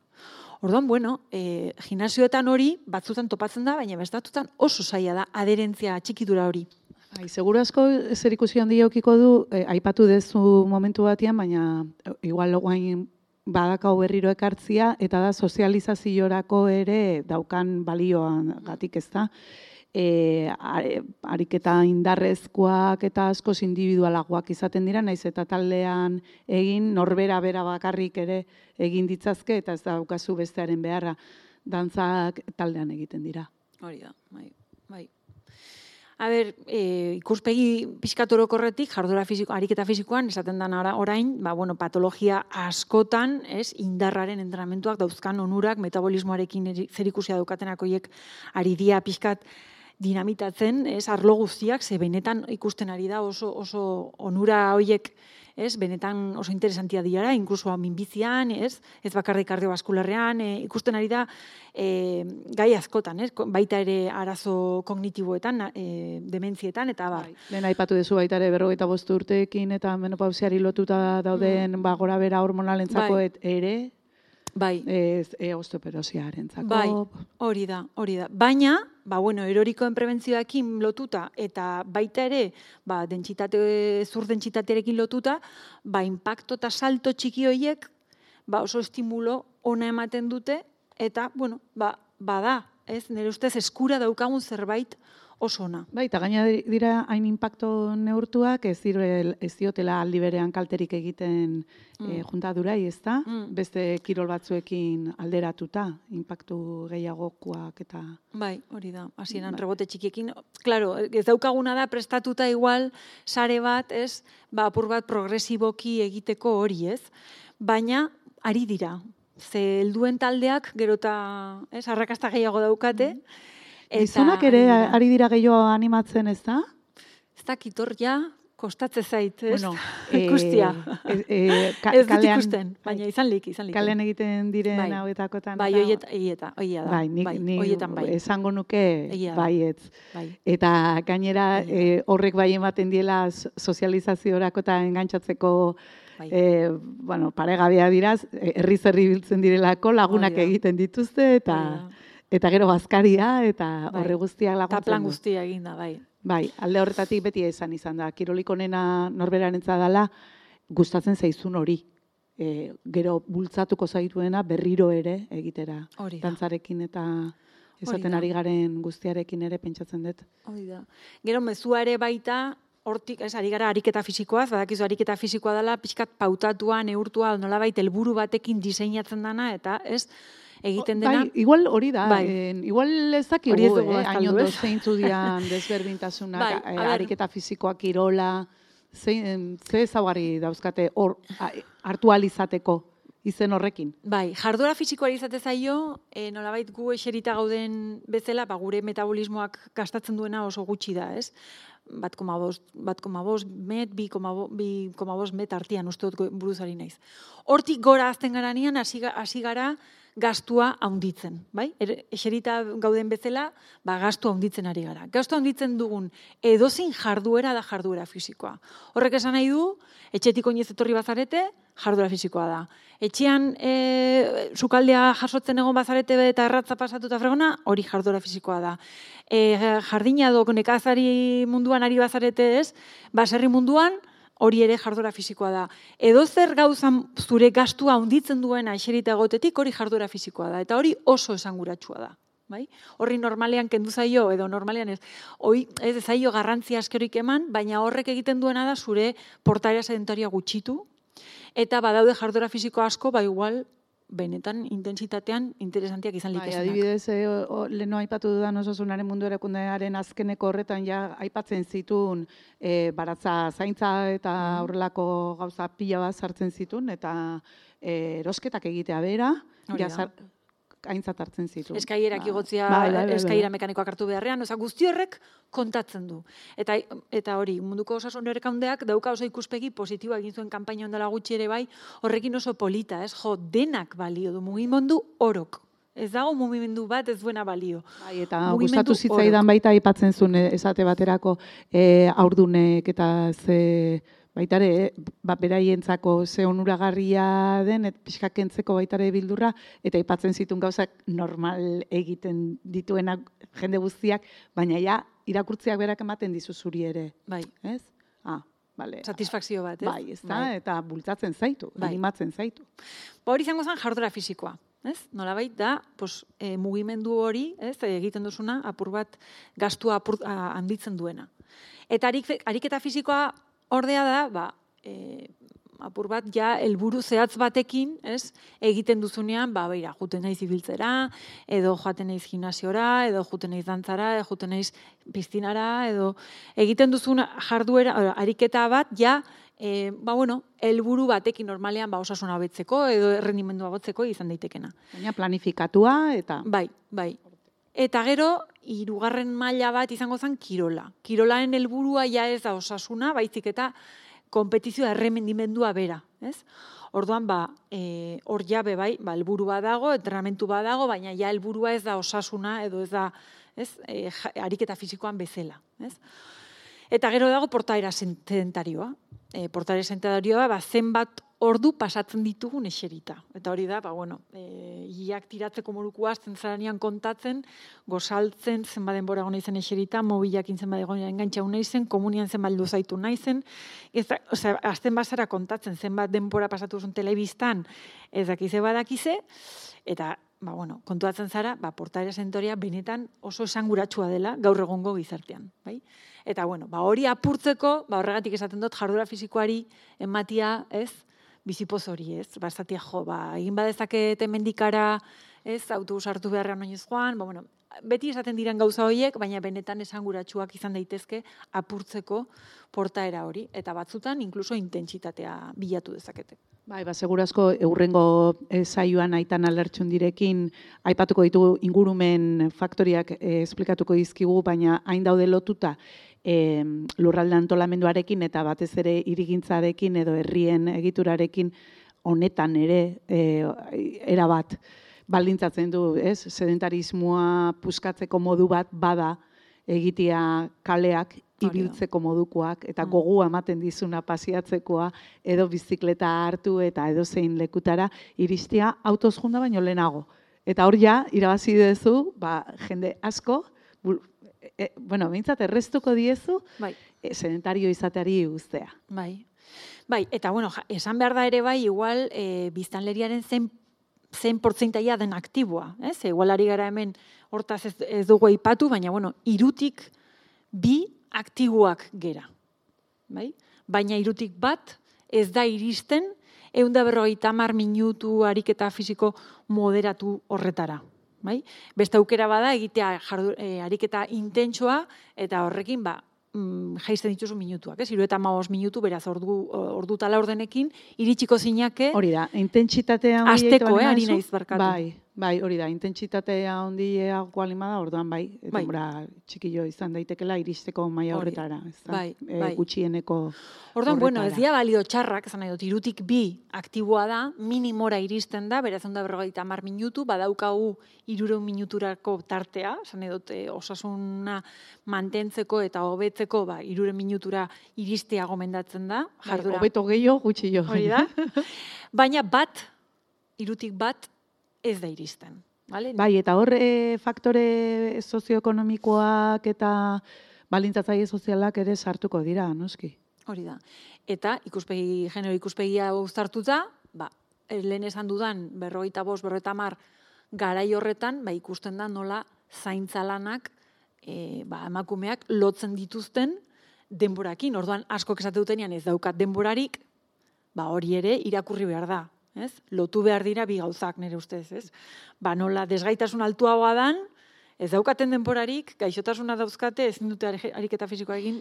Orduan, bueno, e, gimnasioetan hori batzutan topatzen da, baina bestatutan oso zaila da adherentzia txikidura hori. Bai, seguru asko zer ikusi handi eukiko du, eh, aipatu dezu momentu batean, baina igual guain badakau berriro ekartzia, eta da sozializaziorako ere daukan balioan gatik, ez da. E, ariketa indarrezkoak eta askoz individualagoak izaten dira, naiz eta taldean egin, norbera bera bakarrik ere egin ditzazke, eta ez daukazu bestearen beharra, dantzak taldean egiten dira. Hori da, bai, bai. A ber, e, ikuspegi pixkatorokorretik, jarduera fisiko, ariketa fisikoan, esaten den orain, ba, bueno, patologia askotan, ez, indarraren entrenamentuak dauzkan onurak, metabolismoarekin zerikusia daukatenak horiek ari dia pixkat dinamitatzen, ez, arlo guztiak, ze benetan ikusten ari da oso, oso onura horiek, ez, benetan oso interesantia dira, inkluso minbizian, ez, ez bakarrik kardiobaskularrean, e, ikusten ari da e, gai askotan, ez, baita ere arazo kognitiboetan, e, dementzietan, eta bar. Bai. Lehen aipatu duzu baita ere berrogeita bost urteekin eta menopausiari lotuta dauden mm. ba, gora bera hormonalentzako bai. ere, bai. ez e, osteoporosiarentzako. Bai, hori da, hori da. Baina, ba, bueno, erorikoen prebentzioarekin lotuta eta baita ere, ba, dentsitate, zur dentsitatearekin lotuta, ba, impacto eta salto txiki horiek, ba, oso estimulo ona ematen dute, eta, bueno, ba, bada, ez, nire ustez eskura daukagun zerbait oso ona. Bai, eta gaina dira hain impacto neurtuak, ez, direl, ez diotela aldi berean kalterik egiten mm. e, juntadurai, ez da? Mm. Beste kirol batzuekin alderatuta, impactu gehiagokoak eta... Bai, hori da, hasieran bai. Rebote txikiekin. Claro, ez daukaguna da prestatuta igual sare bat, ez, ba, apur bat progresiboki egiteko hori, ez? Baina, ari dira. Ze helduen taldeak, gerota, ez, arrakasta gehiago daukate, mm. Gizonak ere ari dira gehiago animatzen, ez da? Ez da, kitor ja, kostatze zait, ez? Bueno, ikustia. E, e, ka, ez dut kalean, ikusten, baina izan lik, izan lik. Kalean egiten diren bai. hauetakotan. Bai, oieta, oieta, oia da. Bai, nik, bai, nik oietan bai. esango nuke baietz. Bai. Eta gainera e, horrek bai ematen diela sozializaziorako eta engantzatzeko bai. e, bueno, paregabea diraz, herri zerri biltzen direlako lagunak egiten dituzte eta... Eta gero bazkaria, eta bai. horre guztiak laguntzen. Eta plan guztia eginda, bai. Bai, alde horretatik beti esan izan da. Kirolik onena norberarentza dela, gustatzen zaizun hori. E, gero bultzatuko zaituena berriro ere egitera. Hori da. Dantzarekin eta esaten ari garen guztiarekin ere pentsatzen dut. Hori da. Gero mezua ere baita, hortik, ez, ari gara ariketa fisikoaz, badakizu ariketa fisikoa dela, pixkat pautatua, neurtua, nolabait helburu batekin diseinatzen dana, eta ez, egiten dena. Bai, igual hori da. Bai. En, igual ez dakigu, eh, hain ondo zeintzu dian desberdintasunak, bai, eh, ariketa fisikoak kirola, zein, ze ezaugarri dauzkate hor hartu ahal izateko izen horrekin. Bai, jarduera fisikoari izate zaio, e, nolabait gu eserita gauden bezala, ba, gure metabolismoak gastatzen duena oso gutxi da, ez? bat koma bost met, bi koma bost met artian uste dut buruzari naiz. Hortik gora azten garanean hasi gara gastua haunditzen, bai? Eserita gauden bezala, ba, gastua haunditzen ari gara. Gastua haunditzen dugun edozein jarduera da jarduera fisikoa. Horrek esan nahi du, etxetik oinez etorri bazarete, jarduera fisikoa da. Etxean e, sukaldea jasotzen egon bazarete eta erratza pasatu eta fregona, hori jarduera fisikoa da. E, jardina edo nekazari munduan ari bazarete ez, baserri munduan, hori ere jarduera fisikoa da. Edo zer gauzan zure gastua handitzen duena eserita egotetik, hori jarduera fisikoa da. Eta hori oso esanguratsua da. Bai? Horri normalean kendu zaio, edo normalean ez, hoi, ez zaio garrantzia askerik eman, baina horrek egiten duena da zure portaera sedentaria gutxitu, eta badaude jarduera fisiko asko, ba igual, benetan intensitatean interesantiak izan litezenak. Bai, adibidez, e, o, leheno aipatu dudan osasunaren mundu erakundearen azkeneko horretan ja aipatzen zituen e, baratza zaintza eta horrelako gauza pila bat sartzen zituen, eta e, erosketak egitea bera, ja, aintzat hartzen zitu. Eskailerak igotzea, eskailera mekanikoak hartu beharrean, oza, guzti horrek kontatzen du. Eta, eta hori, munduko osasun erakundeak dauka oso ikuspegi positiboa egin zuen kanpaina ondela gutxi ere bai, horrekin oso polita, ez? Jo, denak balio du, mugimendu orok. Ez dago mugimendu bat ez duena balio. Bai, eta gustatu zitzaidan baita aipatzen zuen esate baterako e, aurdunek eta ze... Baitare, ba, beraientzako ze onuragarria den, et pixka kentzeko baitare bildurra, eta aipatzen zituen gauzak normal egiten dituenak jende guztiak, baina ja, irakurtziak berak ematen dizu zuri ere. Bai. Ez? Ah, bale. Satisfakzio bat, ez? Bai, ez da, bai. Eta bultzatzen zaitu, bai. Animatzen zaitu. Ba, hori izango zen jarduera fisikoa. Ez? Nolabait da, pos, e, mugimendu hori, ez, egiten duzuna, apur bat gastua apur, a, handitzen duena. Eta arik, ariketa fisikoa ordea da, ba, e, apur bat ja helburu zehatz batekin, ez, egiten duzunean, ba, beira, juten naiz ibiltzera, edo joaten naiz gimnasiora, edo juten naiz dantzara, edo juten naiz piztinara, edo egiten duzun jarduera, ariketa bat, ja, e, ba, bueno, helburu batekin normalean, ba, osasuna hobetzeko, edo errendimendua hobetzeko izan daitekena. Baina planifikatua, eta... Bai, bai. Eta gero, hirugarren maila bat izango zen kirola. Kirolaren helburua ja ez da osasuna, baizik eta konpetizioa erremendimendua bera, ez? Orduan, ba, e, hor jabe bai, ba, helburu bat dago, entrenamentu bat dago, baina ja helburua ez da osasuna, edo ez da, ez, e, ariketa fisikoan bezala, ez? Eta gero dago portaera sedentarioa. E, portaera sedentarioa, ba, zenbat ordu pasatzen ditugun eserita. Eta hori da, ba, bueno, e, iak tiratzeko moruko azten zaranean kontatzen, gozaltzen, zenbat denbora gona izen eserita, mobilakin zenbat gona engantzau nahi zen, komunian zenbat luzaitu nahi zen, ez da, osea, azten bazara kontatzen, zenbat denbora pasatu zuen telebistan, ez dakize badakize, eta, ba, bueno, kontuatzen zara, ba, portaera sedentarioa benetan oso esanguratsua dela gaur egongo gizartean, bai? Eta, bueno, ba, hori apurtzeko, ba, horregatik esaten dut, jarduera fisikoari ematia, ez, bizipoz hori, ez? Ba, esatia, jo, ba, egin badezaket hemendikara, ez, autobus hartu beharrean oinez joan, ba, bueno, beti esaten diren gauza horiek, baina benetan esanguratsuak izan daitezke apurtzeko portaera hori, eta batzutan inkluso intentsitatea bilatu dezakete. Bai, ba, segurazko eurrengo saioan aitan alertxun direkin aipatuko ditu ingurumen faktoriak eh, esplikatuko dizkigu, baina hain daude lotuta e, lurralde antolamenduarekin eta batez ere hirigintzarekin edo herrien egiturarekin honetan ere e, erabat baldintzatzen du, ez? Sedentarismoa puskatzeko modu bat bada egitea kaleak ibiltzeko modukoak eta gogua ematen dizuna pasiatzekoa edo bizikleta hartu eta edo zein lekutara iristea autoz junda baino lehenago. Eta hor ja, irabazi duzu, ba, jende asko, bu, e, bueno, behintzat errestuko diezu, bai. E, sedentario izateari guztea. Bai, bai, eta bueno, esan behar da ere bai, igual, e, biztanleriaren zen zen portzentaia den aktiboa, ez? Igual ari gara hemen hortaz ez, ez dugu aipatu, baina, bueno, irutik bi aktiboak gera, bai? Baina irutik bat ez da iristen ehun eta berrogeita hamar minutu ariketa fisiko moderatu horretara, bai? Beste aukera bada egitea jardu, e, ariketa intentsoa eta horrekin, ba, jaisten dituzu minutuak, ez? Hiru eta hamabost minutu, beraz, ordu, ordu tala ordenekin, iritsiko zinake... Hori da, intentsitatea... Azteko, eh, ari naiz barkatu. Bai, bai, hori da, intentsitatea ondileago alimada, orduan bai, bai. Denbora txikillo izan daitekela iristeko maila horretara, ez da? Bai, e, bai. Gutxieneko orduan, horretara. Bueno, ez dira balio txarrak, esan nahi dut, irutik bi aktiboa da, minimora iristen da, beraz, onda berrogeita hamar minutu, badaukagu hirurehun minuturako tartea, esan nahi dut, osasuna mantentzeko eta hobetzeko, ba, hirurehun minutura iristea gomendatzen da. Jardura. Hobeto gehiago, gutxillo. Hori da. Baina bat, irutik bat, ez da iristen. Vale? Bai, eta hor e, faktore sozioekonomikoak eta balintzatzaile sozialak ere sartuko dira, noski. Hori da. Eta ikuspegi, genero ikuspegia uztartuta, ba, lehen esan dudan berrogeita bost, berrogeita hamar garai horretan, ba, ikusten da nola zaintza lanak e, ba, emakumeak lotzen dituzten denborakin. Orduan askok esate dutenean ez daukat denborarik, ba, hori ere irakurri behar da. Ez? Lotu behar dira bi gauzak nire ustez, ez? Ba, nola desgaitasun altuagoa dan, ez daukaten denborarik, gaixotasuna dauzkate, ezin dute ariketa fisikoa egin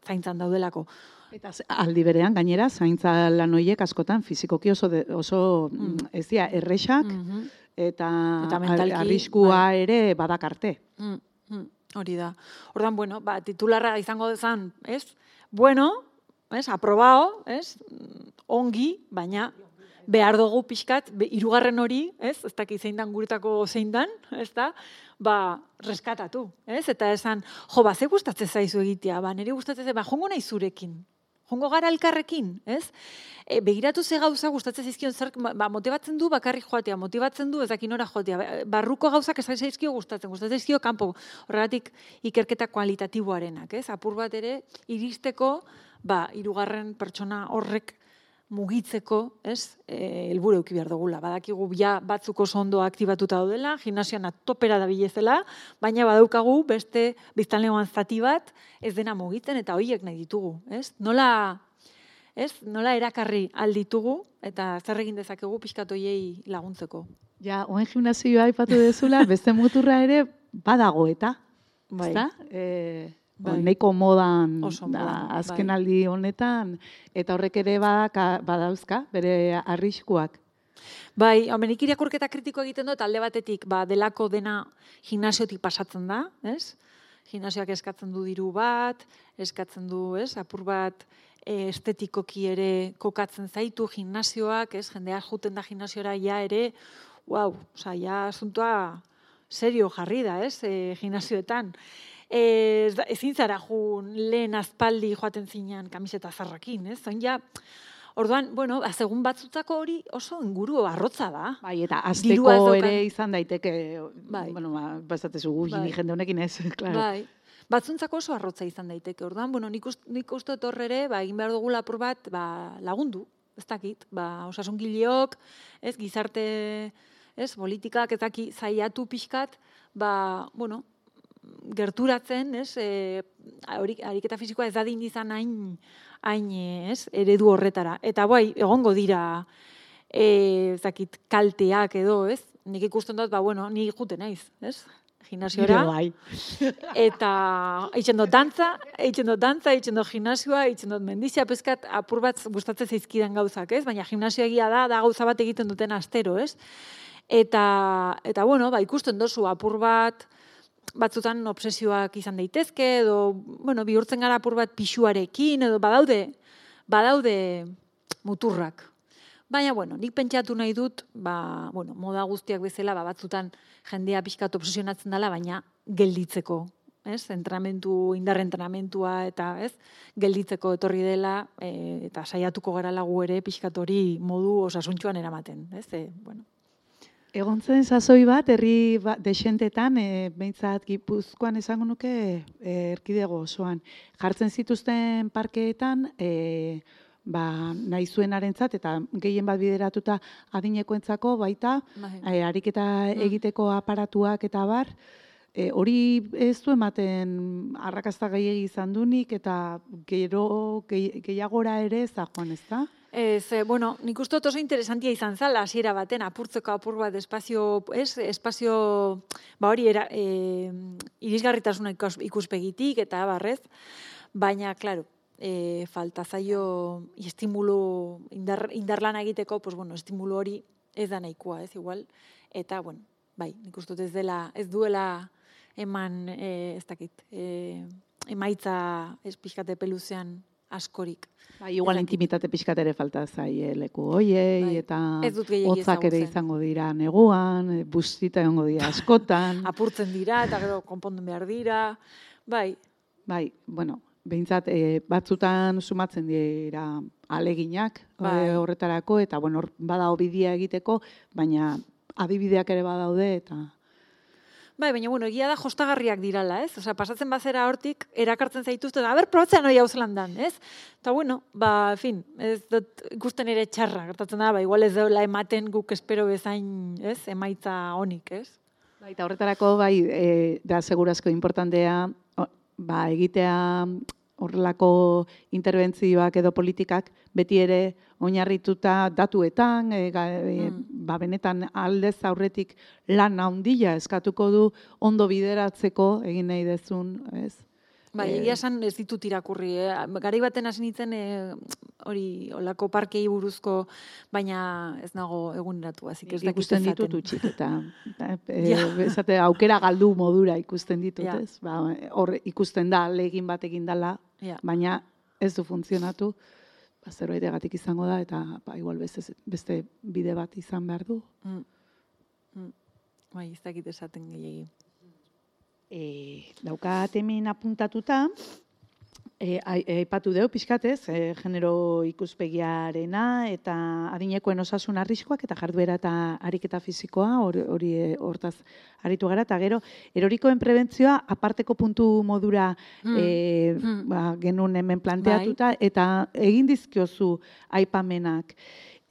zaintzan daudelako. Eta aldi berean, gainera, zaintza lan horiek askotan fizikoki oso, de, oso mm. ez dira, errexak, mm-hmm. eta, eta mentalki, arriskua bai. Ere badakarte. Mm, mm, hori da. Ordan, bueno, ba, titularra izango dezan, ez? Bueno, ez? Aprobao, ez? Ongi, baina behar dugu pixkat, hirugarren hori, ez? Ez dakit zein dan guretako zein dan, ez da? Ba, reskatatu, ez? Eta esan, jo, ba, ze gustatzen zaizu egitea, ba, nire gustatzen zaizu, ba, jongo nahi zurekin, jongo gara elkarrekin, ez? E, begiratu ze gauza gustatzen zaizkion, zer, ba, motibatzen du bakarrik joatea, motibatzen du ezakin ora joatea, barruko gauzak ez zaizkio gustatzen, gustatzen zaizkio kanpo, horregatik ikerketa kualitatiboarenak, ez? Apur bat ere, iristeko, ba, hirugarren pertsona horrek mugitzeko, ez, e, helburu eduki behar dugula. Badakigu ja batzuk oso ondo aktibatuta daudela, gimnasian topera da bilezela, baina badaukagu beste biztanlegoan zati bat ez dena mugitzen eta horiek nahi ditugu, ez? Nola, ez, nola erakarri alditugu eta zer egin dezakegu pixkat horiei laguntzeko. Ja, oen gimnasioa aipatu dezula, beste muturra ere badago eta, bai. Ezta? Eh, Bai. Neiko modan da, azken bai. Aldi honetan, eta horrek ere badaka, badauzka, bere arriskuak. Bai, hau, nik irakurketa kritiko egiten dut, alde batetik, ba, delako dena gimnasiotik pasatzen da, ez? Gimnasioak eskatzen du diru bat, eskatzen du, ez? Apur bat e, estetikoki ere kokatzen zaitu gimnasioak, ez? Jendea juten da gimnasiora ja ere, wow, oza, ja asuntoa serio jarri da, ez? E, gimnasioetan. E, ezin zara jun lehen azpaldi joaten zinean kamiseta zarrakin, ez? Zoin ja, orduan, bueno, segun batzutzako hori oso inguru arrotza da. Bai, eta azteko ere izan daiteke, bai. Bueno, ba, bazatezu gu, bai. Jende honekin ez, klaro. Bai, batzuntzako oso arrotza izan daiteke. Orduan, bueno, nik, ust, nik uste dut ere, ba, egin behar dugu lapur bat, ba, lagundu, ez dakit, ba, osasun gileok, ez, gizarte, ez, politikak, ez daki, zaiatu pixkat, ba, bueno, gerturatzen, ez, e, ariketa fisikoa ez dadin izan hain, hain, ez, eredu horretara. Eta bai, egongo dira, e, zakit, kalteak edo, ez? Nik ikusten dut, ba, bueno, ni jute naiz, ez? Gimnasiora. Bai. Eta eitzen dut dantza, eitzen dut dantza, eitzen dut gimnasioa, eitzen dut mendizia, peskat apur bat gustatzen zaizkidan gauzak, ez? Baina gimnasioa egia da, da gauza bat egiten duten astero, ez? Eta, eta bueno, ba, ikusten dozu apur bat, batzutan obsesioak izan daitezke, edo, bueno, bihurtzen gara apur bat pixuarekin, edo badaude, badaude muturrak. Baina, bueno, nik pentsatu nahi dut, ba, bueno, moda guztiak bezala, ba, batzutan jendea pixkat obsesionatzen dela, baina gelditzeko, ez? Entrenamentu, indar entrenamentua, eta, ez? Gelditzeko etorri dela, e, eta saiatuko gara lagu ere pixkat hori modu osasuntxuan eramaten, ez? E, bueno. Egon zen sasoi bat, herri ba, desentetan, e, behintzat Gipuzkoan esango nuke e, erkidego osoan. Jartzen zituzten parkeetan, e, ba, nahi zuenarentzat, eta gehien bat bideratuta adinekoentzako baita, e, ariketa egiteko aparatuak eta bar, e, hori ez du ematen arrakasta gehiegi izan dunik, eta gero gehiagora ere ez da joan, ez da? Ez, bueno, nik uste dut oso interesantia izan zala, hasiera baten, apurtzeko apur bat espazio, ez, espazio, ba hori, era, e, irisgarritasuna ikuspegitik, eta barrez, baina, klaro, e, falta zaio estimulu, indar, indarlana egiteko, pues, bueno, estimulu hori ez da nahikoa, ez, igual, eta, bueno, bai, nik uste dut ez dela, ez duela eman, e, ez dakit, e, emaitza ez pixkate peluzean askorik. Bai, igual intimitate pixkat ere falta zaie leku hoiei, bai, eta hotzak ere izango dira neguan, bustita egongo dira askotan. Apurtzen dira, eta gero konpondu behar dira, bai. Bai, bueno, behintzat e, batzutan sumatzen dira aleginak, bai, horretarako, eta bueno, bada bidea egiteko, baina adibideak ere badaude, eta... Bai, baina, bueno, egia da jostagarriak dirala, ez? Osea, pasatzen bazera hortik, erakartzen zaituzte, a ber, probatzen hori hau zelandan, ez? Eta, bueno, ba, fin, ez dut ikusten ere txarra, gertatzen da, ba, igual ez daula ematen guk espero bezain, ez? Emaitza honik, ez? Bai, eta horretarako, bai, e, da segurazko importantea, ba, egitea horrelako interbentzioak edo politikak beti ere oinarrituta datuetan, e, ga, e, mm. ba, benetan aldez aurretik lan handia eskatuko du ondo bideratzeko egin nahi dezun, ez? Bai, egia esan ez ditut irakurri, eh? Garai baten hasi nintzen eh, hori olako parkei buruzko, baina ez nago eguneratu, así que ez dakit ikusten ditut utxik, eta esate aukera galdu modura ikusten ditut, ja. Ez? Ba, hor ikusten da, legin bat egin dala, ja. Baina ez du funtzionatu, ba, zerbaitegatik izango da, eta ba, igual beste, beste bide bat izan behar du. Mm. Mm. Bai, ez dakit esaten gehiagin. E, daukat hemen apuntatuta, aipatu e, deu pixkatez, e, genero ikuspegiarena eta adinekoen osasun arriskoak eta jarduera eta ariketa fisikoa, hori hortaz aritu gara, eta gero, erorikoen prebentzioa aparteko puntu modura mm. e, mm. ba, genuen hemen planteatuta, bai. Eta egin dizkiozu aipamenak.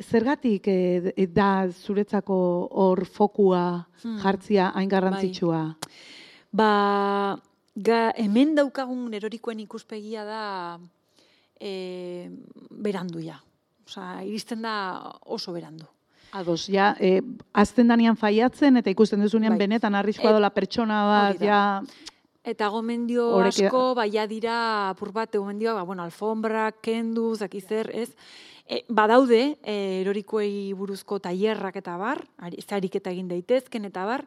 Zergatik e, da zuretzako hor fokua mm. jartzia hain garrantzitsua? Bai. Ba, ga, hemen daukagun erorikoen ikuspegia da e, berandu ja. Osa, iristen da oso berandu. Ados, ja, e, azten danean faiatzen eta ikusten duzunean bai. Benetan arriskoa dola pertsona bat, ja... Eta gomendio Horeke... asko, baia dira, apur bat, gomendioa, ba, bueno, alfombra, kendu, zakizer, ez? E, badaude, e, erorikoei buruzko tailerrak eta bar, ariketa egin daitezken eta bar,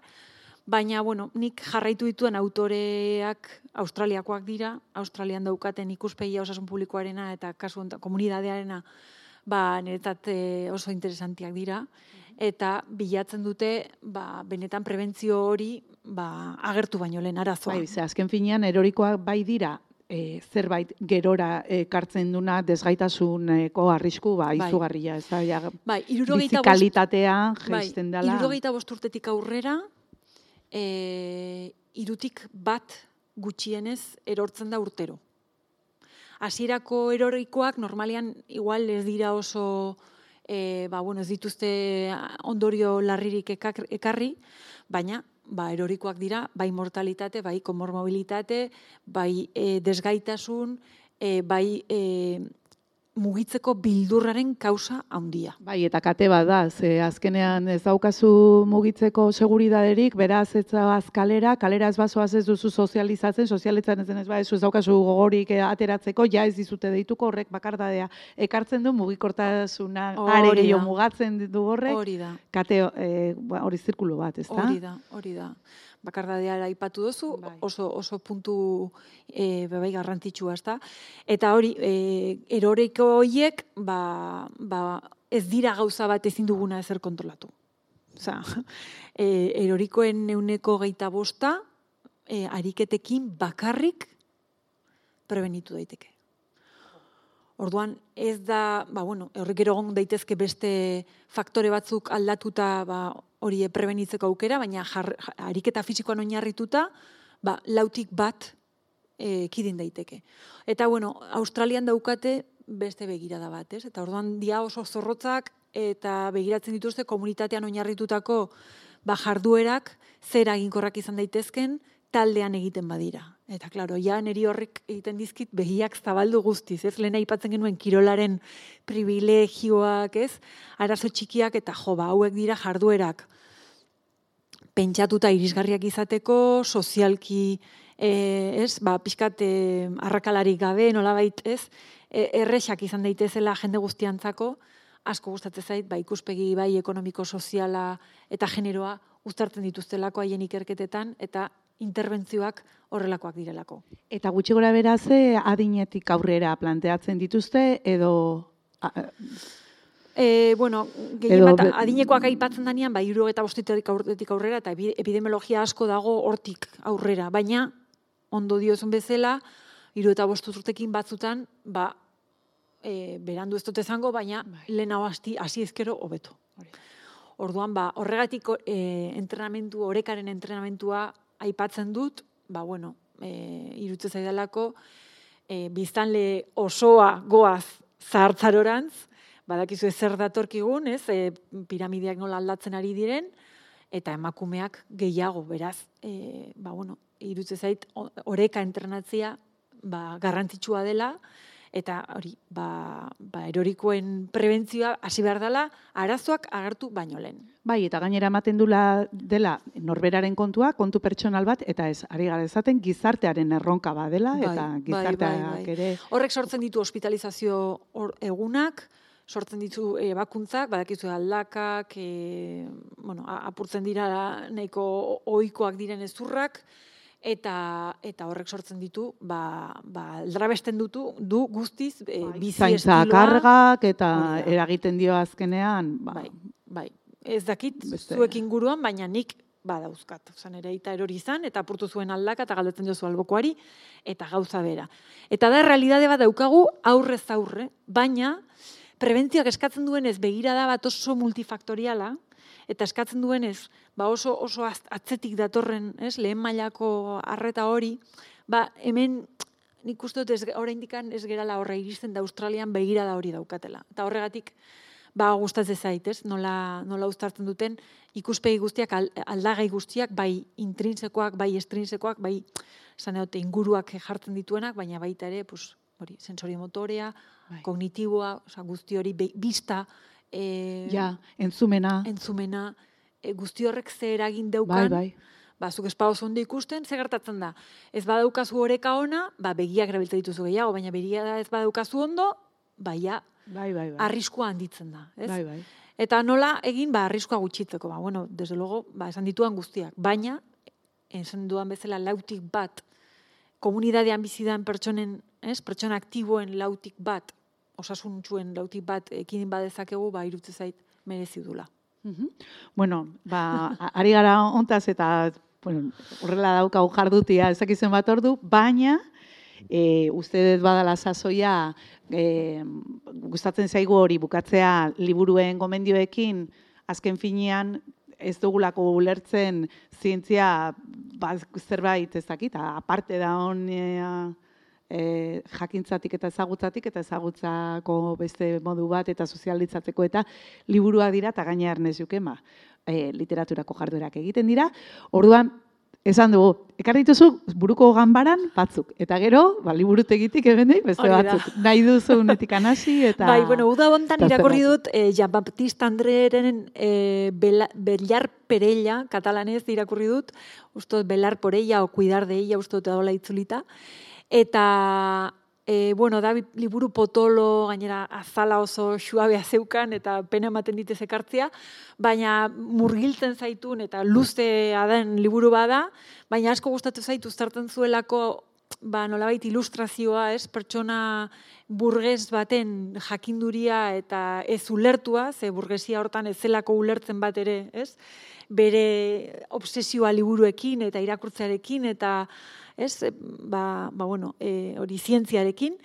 baina, bueno, nik jarraitu dituen autoreak australiakoak dira, Australian daukaten ikuspegia osasun publikoarena eta kasu honetan komunidadearena, ba, niretzat oso interesantiak dira, eta bilatzen dute, ba, benetan prebentzio hori, ba, agertu baino lehen arazoa. Bai, ze azken finean erorikoak bai dira, E, zerbait gerora ekartzen duna desgaitasuneko arrisku ba, izugarria, ez da, ja, bai, bizi kalitatea jaisten dela. Bai, irurogeita bost urtetik aurrera, e, irutik bat gutxienez erortzen da urtero. Hasierako erorikoak normalean igual ez dira oso, e, ba, bueno, ez dituzte ondorio larririk ekarri, baina ba, erorikoak dira, bai mortalitate, bai komormobilitate, bai e, desgaitasun, e, bai e, mugitzeko bildurraren kausa handia. Bai, eta kate bat da, ze azkenean ez daukazu mugitzeko seguridaderik, beraz ez zauaz kalera, kalera ez bazoaz ez duzu sozializatzen, sozializatzen ez denez ba, ez daukazu gogorik ateratzeko, ja ez dizute deituko horrek bakardadea ekartzen du, mugikortasuna are gehiago mugatzen du horrek, hori da. Kate e, hori zirkulu bat, ez da? Hori da, hori da. Bakardadea aipatu duzu, bai. oso, oso puntu e, bebai garrantzitsua, ezta? Eta hori, e, eroriko horiek, ba, ba, ez dira gauza bat ezin duguna ezer kontrolatu. Osa, e, erorikoen euneko geita bosta, e, ariketekin bakarrik prebenitu daiteke. Orduan, ez da, ba, bueno, horrek egon daitezke beste faktore batzuk aldatuta, ba, hori prebenitzeko aukera, baina jar, ariketa fisikoan oinarrituta, ba, lautik bat e, kidin daiteke. Eta, bueno, Australian daukate beste begirada bat, ez? Eta orduan dia oso zorrotzak eta begiratzen dituzte komunitatean oinarritutako ba, jarduerak zer eginkorrak izan daitezken taldean egiten badira. Eta, klaro, ja, neri horrek egiten dizkit begiak zabaldu guztiz, ez? Lehen aipatzen genuen kirolaren privilegioak, ez? Arazo txikiak eta jo, ba, hauek dira jarduerak pentsatuta irisgarriak izateko, sozialki, e, ez? Ba, pixkat e, arrakalarik gabe, nolabait, ez? E, erresak izan daitezela jende guztiantzako, asko gustatzen zait, ba, ikuspegi bai ekonomiko, soziala eta generoa uztartzen dituztelako haien ikerketetan, eta interbentzioak horrelakoak direlako. Eta gutxi gora beraze adinetik aurrera planteatzen dituzte, edo... E, bueno, gehien bat, adinekoak aipatzen danean, ba, hirurogeita bostetik aurretik aurrera, eta epidemiologia asko dago hortik aurrera. Baina, ondo diozun bezala, hirurogeita bost urtekin batzutan, ba, e, berandu ez dut esango, baina lehen hau hasi ezkero hobeto. Orduan, ba, horregatik e, entrenamentu, orekaren entrenamentua aipatzen dut, ba, bueno, e, irutzen zaidalako, e, biztanle osoa goaz zahartzarorantz, badakizu zer datorkigun, ez, e, piramideak nola aldatzen ari diren, eta emakumeak gehiago, beraz, e, ba, bueno, irutzen zait, oreka entrenatzea, ba, garrantzitsua dela, eta hori, ba, ba, erorikoen prebentzioa hasi behar dela, arazoak agertu baino lehen. Bai, eta gainera ematen dula dela norberaren kontua, kontu pertsonal bat, eta ez, ari gara esaten gizartearen erronka badela, bai, eta gizarteak bai, bai, bai. ere... Horrek sortzen ditu hospitalizazio or, egunak, sortzen ditu e, bakuntzak, badakizu aldakak, e, bueno, apurtzen dira nahiko ohikoak diren ezurrak, eta eta horrek sortzen ditu, ba, ba aldrabesten dutu, du guztiz e, bizi zaintza estiloa. Kargak eta eragiten dio azkenean, ba, bai, bai. Ez dakit beste... zuek inguruan, baina nik badauzkat. Osa, nire aita erori izan, eta apurtu zuen aldaka, eta galdetzen jozu albokoari, eta gauza bera. Eta da, realidade bat daukagu aurrez aurre, baina prebentzioak eskatzen duenez begirada bat oso multifaktoriala, eta eskatzen duenez ba oso oso atzetik datorren, ez, lehen mailako arreta hori, ba hemen nik uste dut oraindik ez gerala horra iristen da Australian begirada hori daukatela. Eta horregatik ba gustatzen zait, ez? Nola nola uztartzen duten ikuspegi guztiak aldagai guztiak, bai intrinsekoak, bai estrinsekoak, bai esan dute inguruak jartzen dituenak, baina baita ere, pues hori, sensoriomotorea, bai. Kognitiboa, osea guzti hori bista, E, ja, entzumena, entzumena e, guzti horrek ze eragin daukan, bai, bai. Ba, zuk espa oso ondo ikusten, ze gertatzen da. Ez badaukazu oreka ona, ba, begiak erabiltzen dituzu gehiago, baina begia ez badaukazu ondo, baia, bai, bai, bai. arriskua handitzen da, ez? Bai, bai. Eta nola egin, ba, arriskua gutxitzeko, ba, bueno, desde luego, ba, esan dituan guztiak, baina, esan duan bezala lautik bat, komunidadean bizidan pertsonen, ez, pertsona aktiboen lautik bat, osasuntxuen lautik bat, ekidin badezakegu, ba, irutze zait, merezi dula. Uh-huh. Bueno, ba, ari gara ontaz eta bueno, horrela daukagu jardutia ezakizen bat ordu, baina e, uste dut badala sasoia e, gustatzen zaigu hori bukatzea liburuen gomendioekin, azken finean ez dugulako ulertzen zientzia ba, zerbait ez dakit, aparte da hon e, e, jakintzatik eta ezagutzatik eta ezagutzako beste modu bat eta sozializatzeko eta liburua dira eta gaina ernez jukema e, literaturako jarduerak egiten dira. Orduan, esan dugu, ekarri dituzu buruko ganbaran batzuk. Eta gero, ba, liburutegitik ebendik beste batzuk. Nahi duzu unetik anasi eta... Bai, bueno, uda hontan irakorri dut eh, Jean Baptiste Andreren eh, Bellar Perella, katalanez irakurri dut, ustot Belar por ella o cuidar de ella, ustot edola itzulita. Eta, e, bueno, da liburu potolo, gainera azala oso suabea zeukan, eta pena ematen ditez ekartzea, baina murgiltzen zaitun eta luzea den liburu bada, baina asko gustatu zaitu uztartzen zuelako, ba, nolabait ilustrazioa, ez, pertsona burges baten jakinduria eta ez ulertua, ze burgesia hortan ez zelako ulertzen bat ere, ez, bere obsesioa liburuekin eta irakurtzearekin eta ez, ba, ba bueno, e, hori zientziarekin,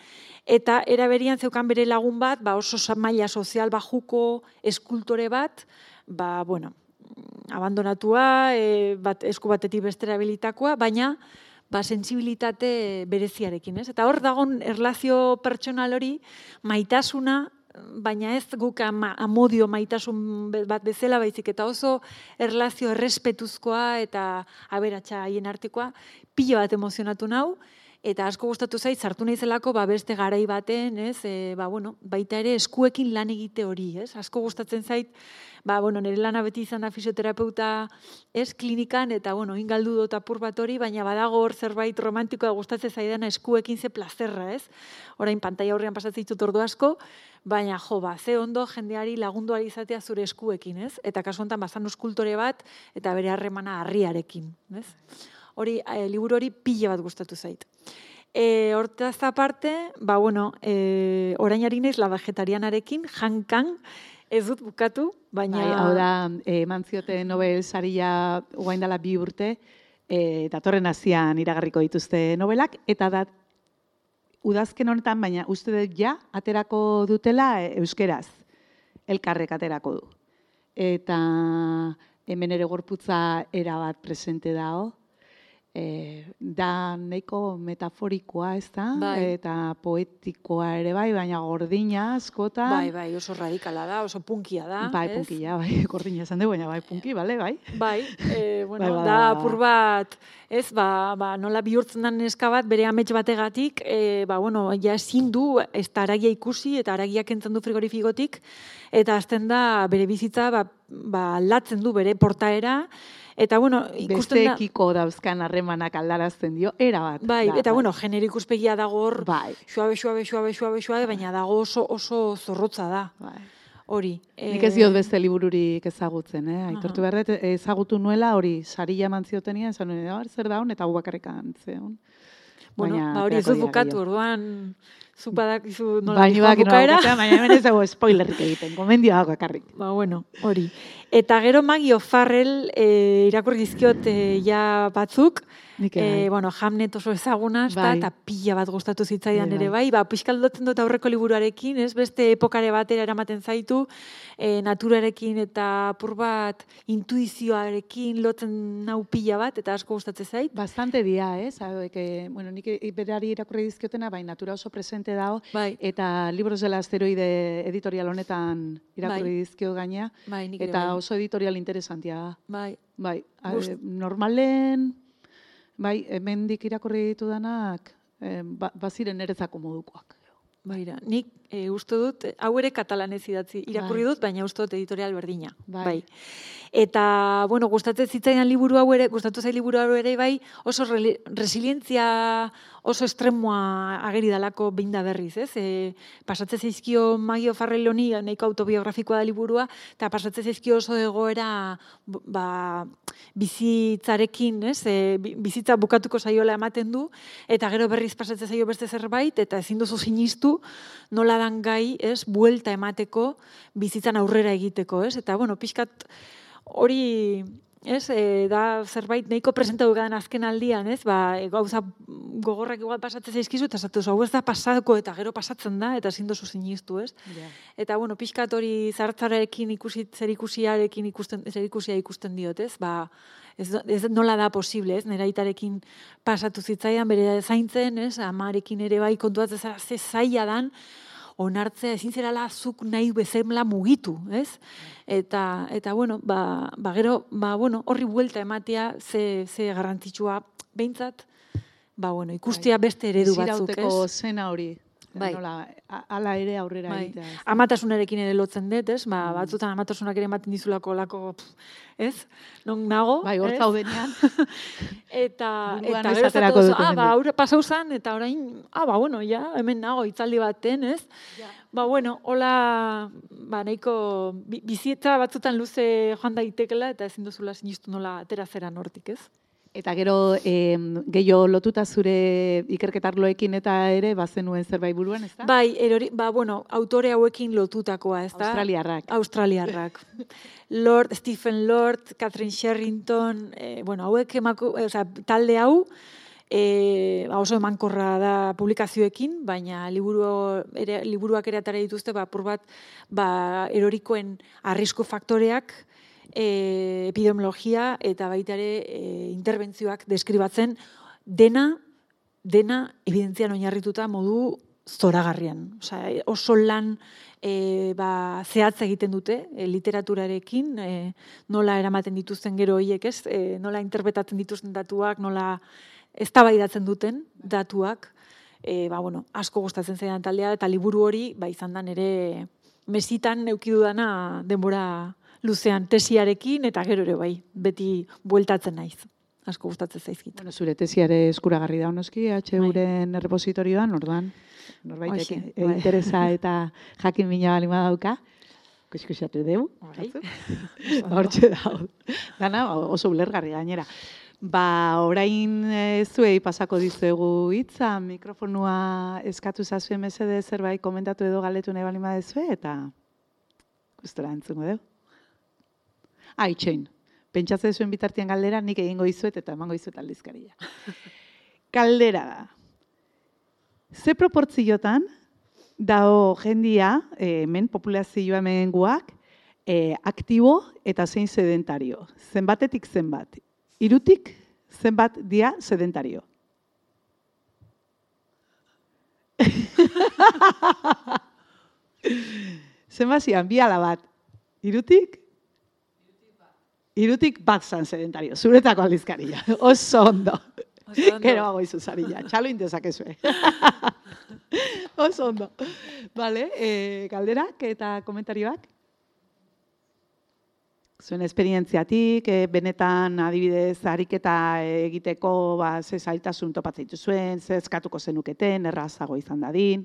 eta eraberian zeukan bere lagun bat, ba oso maila sozial bajuko eskultore bat, ba, bueno, abandonatua, e, bat, esku batetik bestera bilitakoa, baina ba, sentsibilitate bereziarekin, ez? Eta hor dagon erlazio pertsonal hori, maitasuna, baina ez guk ama, amodio maitasun bat bezala, baizik eta oso erlazio errespetuzkoa eta aberatsa haien artekoa, pilo bat emozionatu nau, eta asko gustatu zait, sartu naizelako ba, beste garai baten, ez, e, ba, bueno, baita ere eskuekin lan egite hori, ez? Asko gustatzen zait, ba, bueno, nire lana beti izan da fisioterapeuta, ez, klinikan, eta, bueno, ingaldu dut apur bat hori, baina badago hor zerbait romantikoa gustatzen zaidana eskuekin ze plazerra, ez? Orain pantaila aurrean pasatzen ditut ordu asko, baina jo, ba, ze ondo jendeari lagundu ari izatea zure eskuekin, ez? Eta kasu honetan bazan eskultore bat, eta bere harremana harriarekin, ez? Hori, e, liburu hori pila bat gustatu zait. E, hortaz aparte, ba, bueno, e, orain ari naiz la vegetarianarekin, jankan, ez dut bukatu, baina... Bai, hau da, eman zioten Nobel saria guain dela bi urte, e, datorren azian iragarriko dituzte nobelak, eta da, udazken honetan, baina uste dut ja, aterako dutela euskeraz, elkarrek aterako du. Eta hemen ere gorputza erabat presente dago, E, da nahiko metaforikoa, ez da? Bai. Eta poetikoa ere bai, baina gordina, askota. Bai, bai, oso radikala da, oso punkia da. Bai, ez? punkia, bai, gordina esan dugu, baina bai, punki, bale, bai. Bai, e, bueno, bai, bai, da bai. apur bat, ez, ba, ba, nola bihurtzen den neska bat, bere amets bategatik, e, ba, bueno, ja ezin du, ez da aragia ikusi, eta aragia kentzen du frigorifikotik, eta azten da, bere bizitza, ba, ba, aldatzen du bere portaera, eta, bueno, ikusten da... Bestekiko dauzkan harremanak aldarazten dio, era bat. Bai, da, eta, bai. bueno, genero ikuspegia dago hor, Bai. suabe, suabe, suabe, suabe, suabe, baina dago oso, oso zorrotza da. Bai. Hori. Nik ez diot beste libururik ezagutzen, eh? Aitortu behar dut, ezagutu nuela hori saria eman ziotenia, esan nuen, zer daun, eta gu bakarrekan zeon. Bueno, Baina, ba, hori ez aterako dut dira bukatu, gehiago. orduan, zuk badakizu nola Baina dihoa bak, bukaera. baina hemen ez dago spoilerrik egiten, gomendioa bakarrik. Ba, bueno, hori. Eta gero Maggie O'Farrell e, irakurri dizkiot e, ja batzuk, Nik e, bai. bueno, Hamnet oso ezaguna, ezta, Bai. eta pila bat gustatu zitzaidan Bai, ere bai, ba, pixkaldotzen dut aurreko liburuarekin, ez, beste epokare batera eramaten zaitu, e, naturarekin eta apur bat intuizioarekin lotzen nau pila bat, eta asko gustatzen zait. Bastante dia, ez? Hauek, eh, bueno, nik berari irakurri dizkiotena, bai, natura oso presente dago, Bai. eta Libros del Asteroide editorial honetan irakurri Bai. dizkio gaina, Bai, nik ere eta bai. oso editorial interesantia da. Bai. Bai, Gust- eh, normalen, bai, hemendik irakurri ditudanak, eh, ba, baziren nerezako modukoak. Baira, nik e, uste dut, hau ere katalanez idatzi, irakurri Bai. dut, baina uste dut editorial berdina. Bai. Eta, bueno, gustatzen zitzaidan liburu hau ere, gustatu zait liburu hau ere, bai, oso re, resilientzia oso estremoa ageri dalako behin da berriz, ez? E, pasatze zaizkio Maggie O'Farrell honi, nahiko autobiografikoa da liburua, eta pasatze zaizkio oso egoera ba, bizitzarekin, ez? E, bizitza bukatuko saiola ematen du, eta gero berriz pasatze zaio beste zerbait, eta ezin duzu sinistu nola dan gai, ez? Buelta emateko bizitzan aurrera egiteko, ez? Eta, bueno, pixkat hori... Ez, e, da zerbait nahiko presentatu gadan azken aldian, ez, ba, e, gauza gogorrak igual pasatzen zaizkizu, eta zatu, hau ez da pasako eta gero pasatzen da, eta ezin dozu sinistu, ez? Yeah. Eta, bueno, pixkat hori zartzarekin ikusi, zerikusiarekin ikusten, zerikusia ikusten diot, ez? Ba, ez, ez nola da posible, ez? Nera aitarekin pasatu zitzaian, bere zaintzen, ez? Amarekin ere bai kontuatzen zara, ze zaila dan, onartzea ezin zerala zuk nahi bezala mugitu, ez? Eta, eta bueno, ba, ba gero, ba, bueno, horri buelta ematea ze, ze garrantzitsua behintzat, ba, bueno, ikustia beste eredu batzuk, ez? Bizirauteko zena hori, bai. Nola, ala ere aurrera bai. egitea. Ez? Amatasunarekin ere lotzen dut, ez? Ba, batzutan amatasunak ere ematen dizulako lako, ez? Non nago, bai, hor zaudenean. eta, Buruan eta gero esaterako zatu, duten ah, ba, jende. aurre pasau zan, eta orain, ah, ba, bueno, ja, hemen nago, itzaldi baten, ez? Ja. Ba, bueno, hola, ba, nahiko, bi, bizitza batzutan luze joan daitekela, eta ezin duzula sinistu nola atera zeran hortik, ez? Eta gero, eh, gehiago lotuta zure ikerketarloekin eta ere, bazenuen zerbait buruan, ez da? Bai, erori, ba, bueno, autore hauekin lotutakoa, ez da? Australiarrak. Australiarrak. Lord, Stephen Lord, Catherine Sherrington, eh, bueno, hauek emako, eh, o sea, talde hau, E, oso emankorra da publikazioekin, baina liburu ere, liburuak ere atara dituzte, ba, apur bat, ba, erorikoen arrisku faktoreak, e, epidemiologia eta baita ere e, interbentzioak deskribatzen dena, dena evidentzian oinarrituta modu zoragarrian. Osea, oso lan e, ba, zehatza egiten dute e, literaturarekin, e, nola eramaten dituzten gero horiek, ez? E, nola interpretatzen dituzten datuak, nola eztabaidatzen duten datuak, e, ba, bueno, asko gustatzen zaidan taldea, eta liburu hori, ba, izan da nere mesitan eukidudana denbora luzean tesiarekin, eta gero ere bai, beti bueltatzen naiz. Asko gustatzen zaizkit. Bueno, zure tesiare eskuragarri da honoski, H Uren errepositorioan, orduan, norbaitek bai. interesa eta jakin mina balima dauka, kuskusatu dugu. Bai. Hortxe dago. Dana oso ulergarri gainera. Ba, orain e, zuei pasako dizuegu hitza, mikrofonua eskatu zazuen mesede zerbait komentatu edo galetu nahi balima dezue, eta gustora entzungo dugu. Ah, itxoin, pentsatzen zuen bitartian galdera, nik egingo izuet eta emango izuet aldizkaria. Galdera da. Ze proportziotan dao jendia, e, hemen populazioa hemen guak, e, aktibo eta zein sedentario. Zenbatetik zenbat. Hirutik zenbat dia sedentario. Zenbat zian, bi ala bat. Hirutik? Hirutik bat zan sedentario. Zuretako aldizkaria. Oso ondo. Gero hago izu zarilla. Txalo indezakezue. Oso ondo. Vale, eh, galderak eta komentarioak? Zuen esperientziatik, e, benetan adibidez ariketa egiteko ba, ze zailtasun topatzeitu zuen, ze eskatuko zenuketen, errazago izan dadin.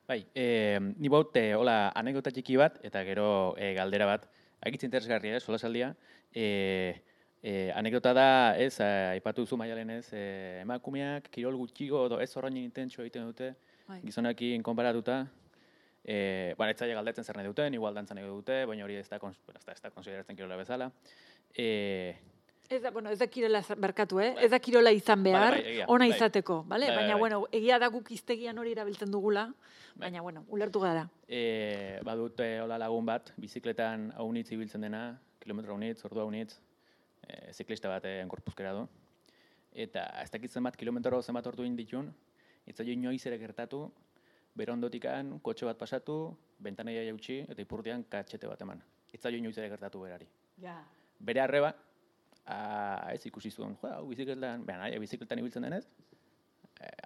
Bai, e, ni baut, e, hola, anekdota txiki bat, eta gero e, galdera bat, agitz interesgarria, sola saldia, e, e, anekdota da, ez, aipatu zu Maialen ez, e, emakumeak, kirol gutxigo, edo ez horrein intentsio egiten dute, bai. Gizonakin konparatuta, E, bueno, ez zaila galdetzen zer nahi duten, igual dantzan nahi dute, baina hori ez da, ez da, ez da konsideratzen kirola bezala. E, ez da, bueno, ez da kirola barkatu, eh? Bai. Ez da kirola izan behar, bai, bai, ona bai. Izateko, bale? Bai, baina, bai, bueno, egia da guk iztegian hori erabiltzen dugula, bai. Baina, bueno, ulertu gara. E, badut, hola lagun bat, bizikletan haunitz ibiltzen dena, kilometro haunitz, ordu haunitz, e, ziklista bat enkorpuzkera du. Eta ez dakitzen bat, kilometro zenbat ordu inditun, ez zailo inoiz ere gertatu, bere ondotikan, kotxe bat pasatu, bentanaia jautsi, eta ipurdian katxete bat eman. Itzaio inoiz ere gertatu berari. Ja. Bere arreba, a, ez ikusi zuen, jo, hau bizikletan, behan, aia bizikletan ibiltzen denez,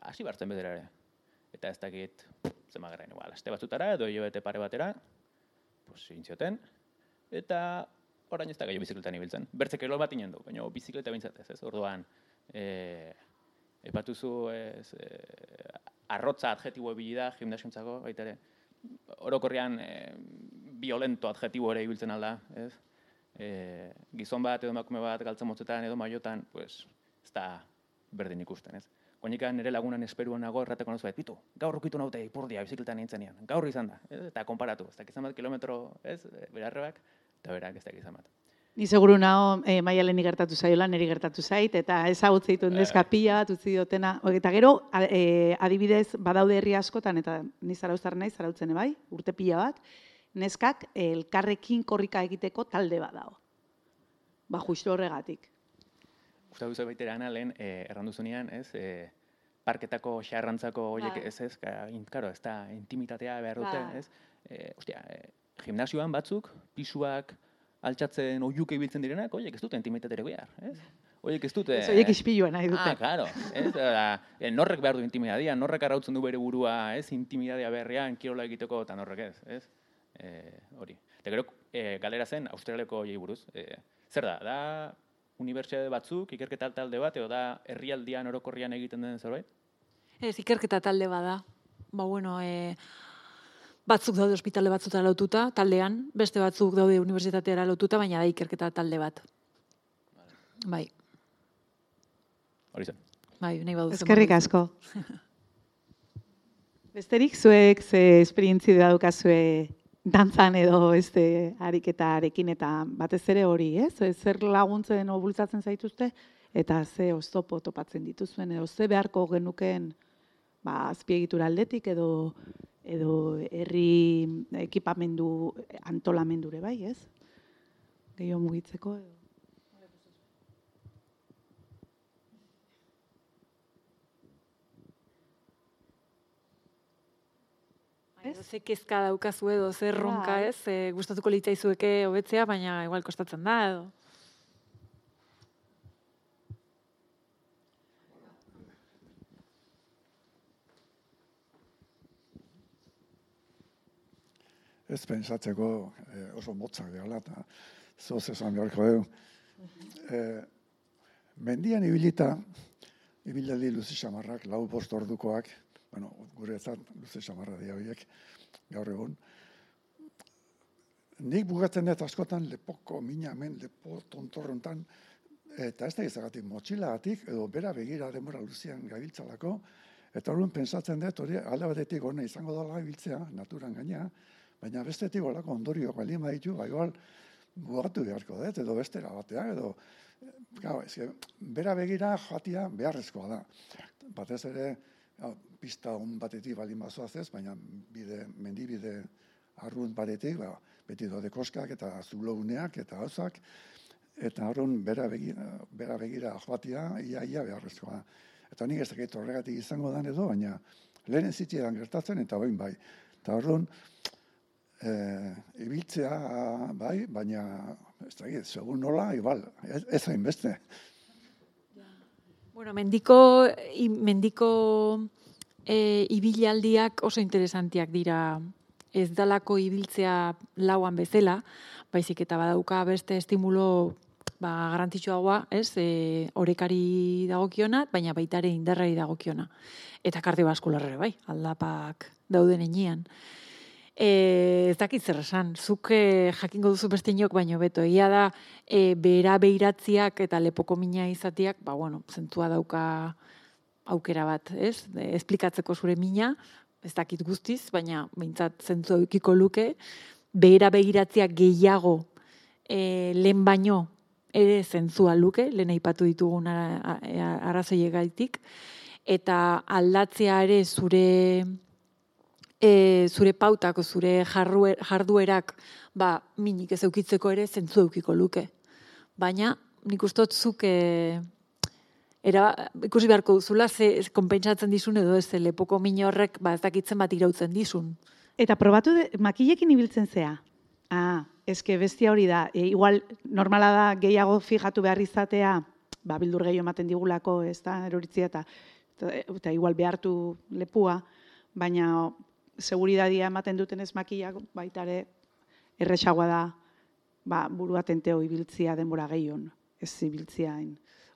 hasi e, bartzen bedera ere. Eta ez dakit, zema garen, igual, aste batzutara, edo hilabete pare batera, pues, intzioten, eta orain ez da gehiago bizikletan ibiltzen. Bertzek erol bat inen du, baina bizikleta bintzatez, ez, orduan, e, epatuzu ez, e, arrotza adjetibo ebili da, gimnasiontzako, baita ere, orokorrean e, violento adjetibo ere ibiltzen alda, ez? E, gizon bat edo emakume bat galtzen motzetan edo maiotan, pues, ez da berdin ikusten, ez? Koinikan nire lagunan esperuan nago errateko nozu, bitu, gaur rukitu naute ipurdia bizikletan nintzenean, gaur izan da, ez? Eta konparatu, ez dakizan bat kilometro, ez, berarrebak, eta berak ez dakizan bat. Ni seguru nago e, Maialeni gertatu zaiola, niri gertatu zait, eta ezagutze ditu neska pila bat utzi diotena. Eta gero, e, adibidez, badaude herri askotan, eta ni zarauztar naiz, zarautzen bai, urte pila bat, neskak elkarrekin korrika egiteko talde bat dago. Ba, justu horregatik. Gustatu zoi baitera ana, lehen, eh, erranduzunean, ez, eh, parketako xarrantzako horiek, ez ez, karo, ez da, intimitatea behar dute, ez? Eh, ostia, eh, gimnasioan batzuk, pisuak, altxatzen oiuke ibiltzen direnak, horiek ez dute intimitatere behar, ez? Horiek ez dute... Ez horiek ispilua nahi dute. Ah, claro, ez? Da, norrek behar du intimidadia, norrek arrautzen du bere burua, ez? Intimidadia beharrean, kirola egiteko, eta norrek ez, ez? Eh, hori. Eta gero, eh, galera zen, Australiako jai buruz. Eh, zer da, da unibertsitate batzuk, ikerketa talde bat, edo da herrialdian orokorrian egiten den zerbait? Ez, ikerketa talde bada. Ba, bueno, e, batzuk daude ospitale batzutara lotuta, taldean, beste batzuk daude unibertsitateara lotuta, baina da ikerketa talde bat. Bai. Hori zen. Bai, nahi baduzu. Eskerrik asko. Besterik zuek ze esperientzi daukazue dantzan edo beste ariketarekin eta batez ere hori, ez? Zer laguntzen edo bultzatzen zaituzte eta ze oztopo topatzen dituzuen edo ze beharko genukeen ba azpiegitura aldetik edo edo herri ekipamendu antolamendure bai, ez? Gehiago mugitzeko edo Ze kezka daukazu edo, zer ronka ez, e, gustatuko litzaizueke hobetzea, baina igual kostatzen da edo. Ez pentsatzeko eh, oso motzak dela, eta zoz esan beharko dugu. Eh, mendian ibilita, ibilali luzi xamarrak, lau bost ordukoak, bueno, guretzat luze xamarra dira horiek, gaur egun. Nik bugatzen dut askotan lepoko mina hemen, lepo tontorrontan, eta ez da izagatik motxilagatik, edo bera begira denbora luzian gabiltzalako, eta horren pensatzen dut hori alde batetik hona izango dela gabiltzea, naturan gaina, baina bestetik olako ondorioak bali maitu, ba igual bugatu beharko dut, edo bestera batea, edo gau, ezke, bera begira joatia beharrezkoa da. Batez ere, ja, pista on batetik baldin bazoaz ez, baina bide, mendibide arrunt batetik, ba, beti dode koskak eta zulouneak eta gauzak, eta horren bera begira, bera begira joatia ia, ia beharrezkoa. Eta nik ez dakit horregatik izango dan edo, baina lehen zitziedan gertatzen eta bain bai. Eta horren, e, ibiltzea bai, baina ez dakit, segun nola, igual, ez, ez hain beste. Bueno, mendiko, i, mendiko e, ibilaldiak oso interesantiak dira. Ez dalako ibiltzea lauan bezala, baizik eta badauka beste estimulo ba, garrantzitsuagoa, ez, e, orekari dagokiona, baina baita ere indarrari dagokiona. Eta kardiobaskularrere bai, aldapak dauden enean. E, ez dakit zer esan, zuk e, jakingo duzu beste inok, baino beto, egia da, e, behera behiratziak eta lepoko mina izatiak, ba, bueno, zentua dauka aukera bat, ez? E, esplikatzeko zure mina, ez dakit guztiz, baina behintzat zentua eukiko luke, behera behiratziak gehiago e, lehen baino ere zentzua luke, lehen aipatu ditugun arrazoiegaitik, eta aldatzea ere zure... E, zure pautako, zure jarduerak ba, minik ez eukitzeko ere zentzu eukiko luke. Baina nik ustot zuk e, era, ikusi beharko duzula ze konpentsatzen dizun edo ez lepoko min horrek ba, ez dakitzen bat irautzen dizun. Eta probatu de, makilekin ibiltzen zea? Ah, eske bestia hori da. E, igual normala da gehiago fijatu behar izatea, ba, bildur gehiago ematen digulako, ez da, eroritzia eta, eta, eta igual behartu lepua, baina seguridadia ematen duten ez makillak baitare erresagoa da ba, burua tenteo ibiltzia denbora gehion, ez ibiltzia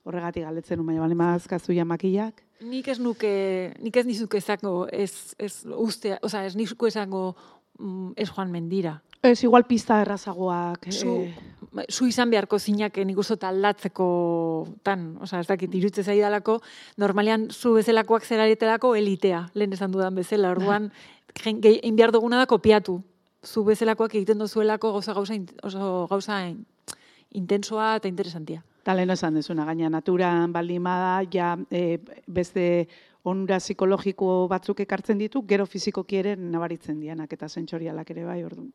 horregatik galdetzen un, baina bale mazkazu ja makillak. Nik ez nuke, nik ez nizuke esango, ez, ez ustea, oza, ez nizuke esango mm, ez joan mendira. Ez, igual pista errazagoak. Zu, eh, zu izan beharko zinak nik uste aldatzeko tan, oza, ez dakit, irutze zaidalako, normalean zu bezalakoak zeraretelako elitea, lehen esan dudan bezala, orduan, egin behar duguna da kopiatu. Zu bezalakoak egiten dozuelako gauza gauza, oso gauza intensoa eta interesantia. Eta lehen esan dezuna, gaina naturan baldimada, ja e, beste onura psikologiko batzuk ekartzen ditu, gero fizikoki ere nabaritzen dianak eta sentsorialak ere bai, orduan.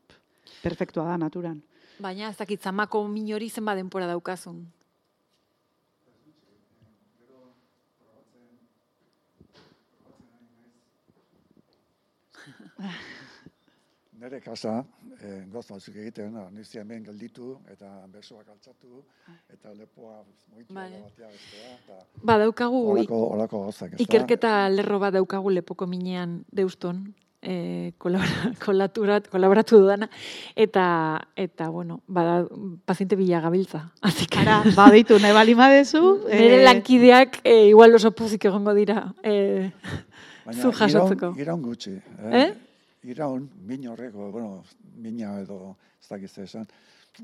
Perfektua da naturan. Baina ez dakit zamako min hori zenba denpora daukazun. Nere kasa, eh, goz batzuk egiten, nizia hemen gelditu, eta besoak altzatu, eta lepoa moitu Vale. batea bestea, eta Ba, daukagu olako, olako gozak, ez da? ikerketa lerro bat daukagu lepoko minean deuston, eh, kolabora, kolaturat, kolaboratu dudana, eta, eta bueno, bada, paziente bila gabiltza. Así que, Ara, badeitu nahi balima dezu. nire lankideak eh, igual oso puzik egongo dira eh, Baina zu jasotzeko. Iraun, iraun gutxi. Eh? Eh? Iraun, min horreko, bueno, mina edo, ez dakiz esan,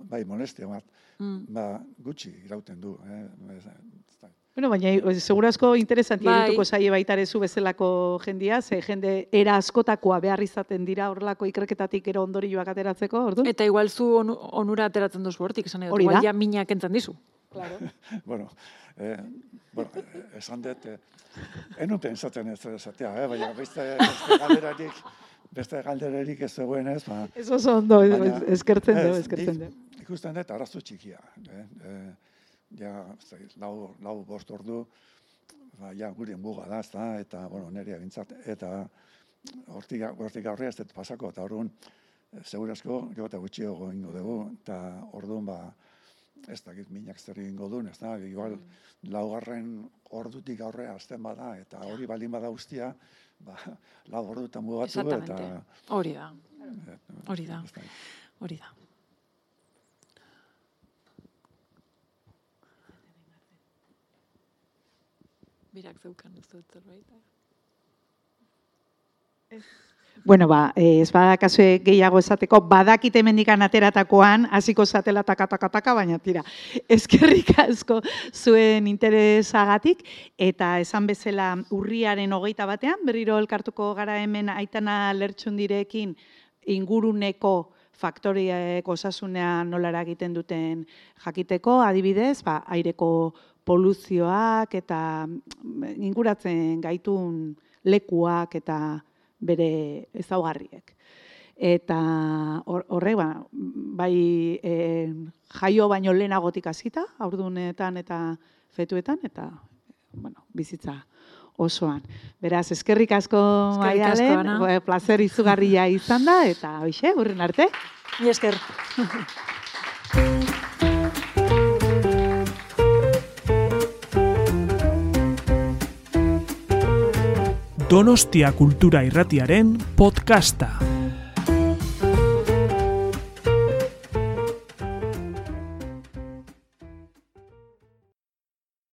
bai, molestia bat, Mm. ba, gutxi irauten du. Eh? Ez da- Bueno, baina segurazko interesantia Bai. irituko zaie baitarezu bezalako jendia, ze jende era askotakoa behar izaten dira horrelako ikerketatik gero ondorioak ateratzeko, ordu? Eta igual zu onu, onura ateratzen duzu hortik, esan edo, Hori igual da. ja minak entzan dizu. Claro. Bueno, eh, bueno, esan dut, eh, enun pensatzen ez esatea, eh? baina beste, beste galderarik, beste galderarik ez zegoen ez, ba, Ez oso ondo, baina- eskertzen du, ez, eskertzen du. nik Ikusten dut arazo txikia. Eh? Eh, ja, ez dakit, lau, lau bost ordu, ba, ja, gure muga da, ez da, eta, bueno, nire bintzat, eta hortik, hortik aurrea ez dut pasako, eta orduan, eh, segurazko, gero eta gutxiago ingo dugu, eta orduan, ba, ez dakit minak zer egingo duen, ez da, igual, laugarren ordutik aurrea azten bada, eta hori baldin bada guztia, ba, lau ordutan mugatu, eta... Exactamente. Hori da, eh, hori da, ez dakit. hori da. Birak zeukan, ez dut zerbait. Bueno, ba, eh, ez badakazue gehiago esateko, badakite mendikan ateratakoan, hasiko zatela taka-taka-taka, baina tira, eskerrik asko zuen interesagatik, eta esan bezala urriaren hogeita batean, berriro elkartuko gara hemen Aitana Lertxundirekin inguruneko faktoriek osasunean nolara egiten duten jakiteko, adibidez, ba, aireko poluzioak eta inguratzen gaitun lekuak eta bere ezaugarriek. Eta horrek, ba, bai e, jaio baino lehenagotik hasita, haurdunetan eta fetuetan, eta bueno, bizitza osoan. Beraz, eskerrik asko Eskerrik asko, Maialen, Ana. plazer izugarria izan da, eta hoxe, urren arte. Mi esker. Donostia Kultura Irratiaren podcasta.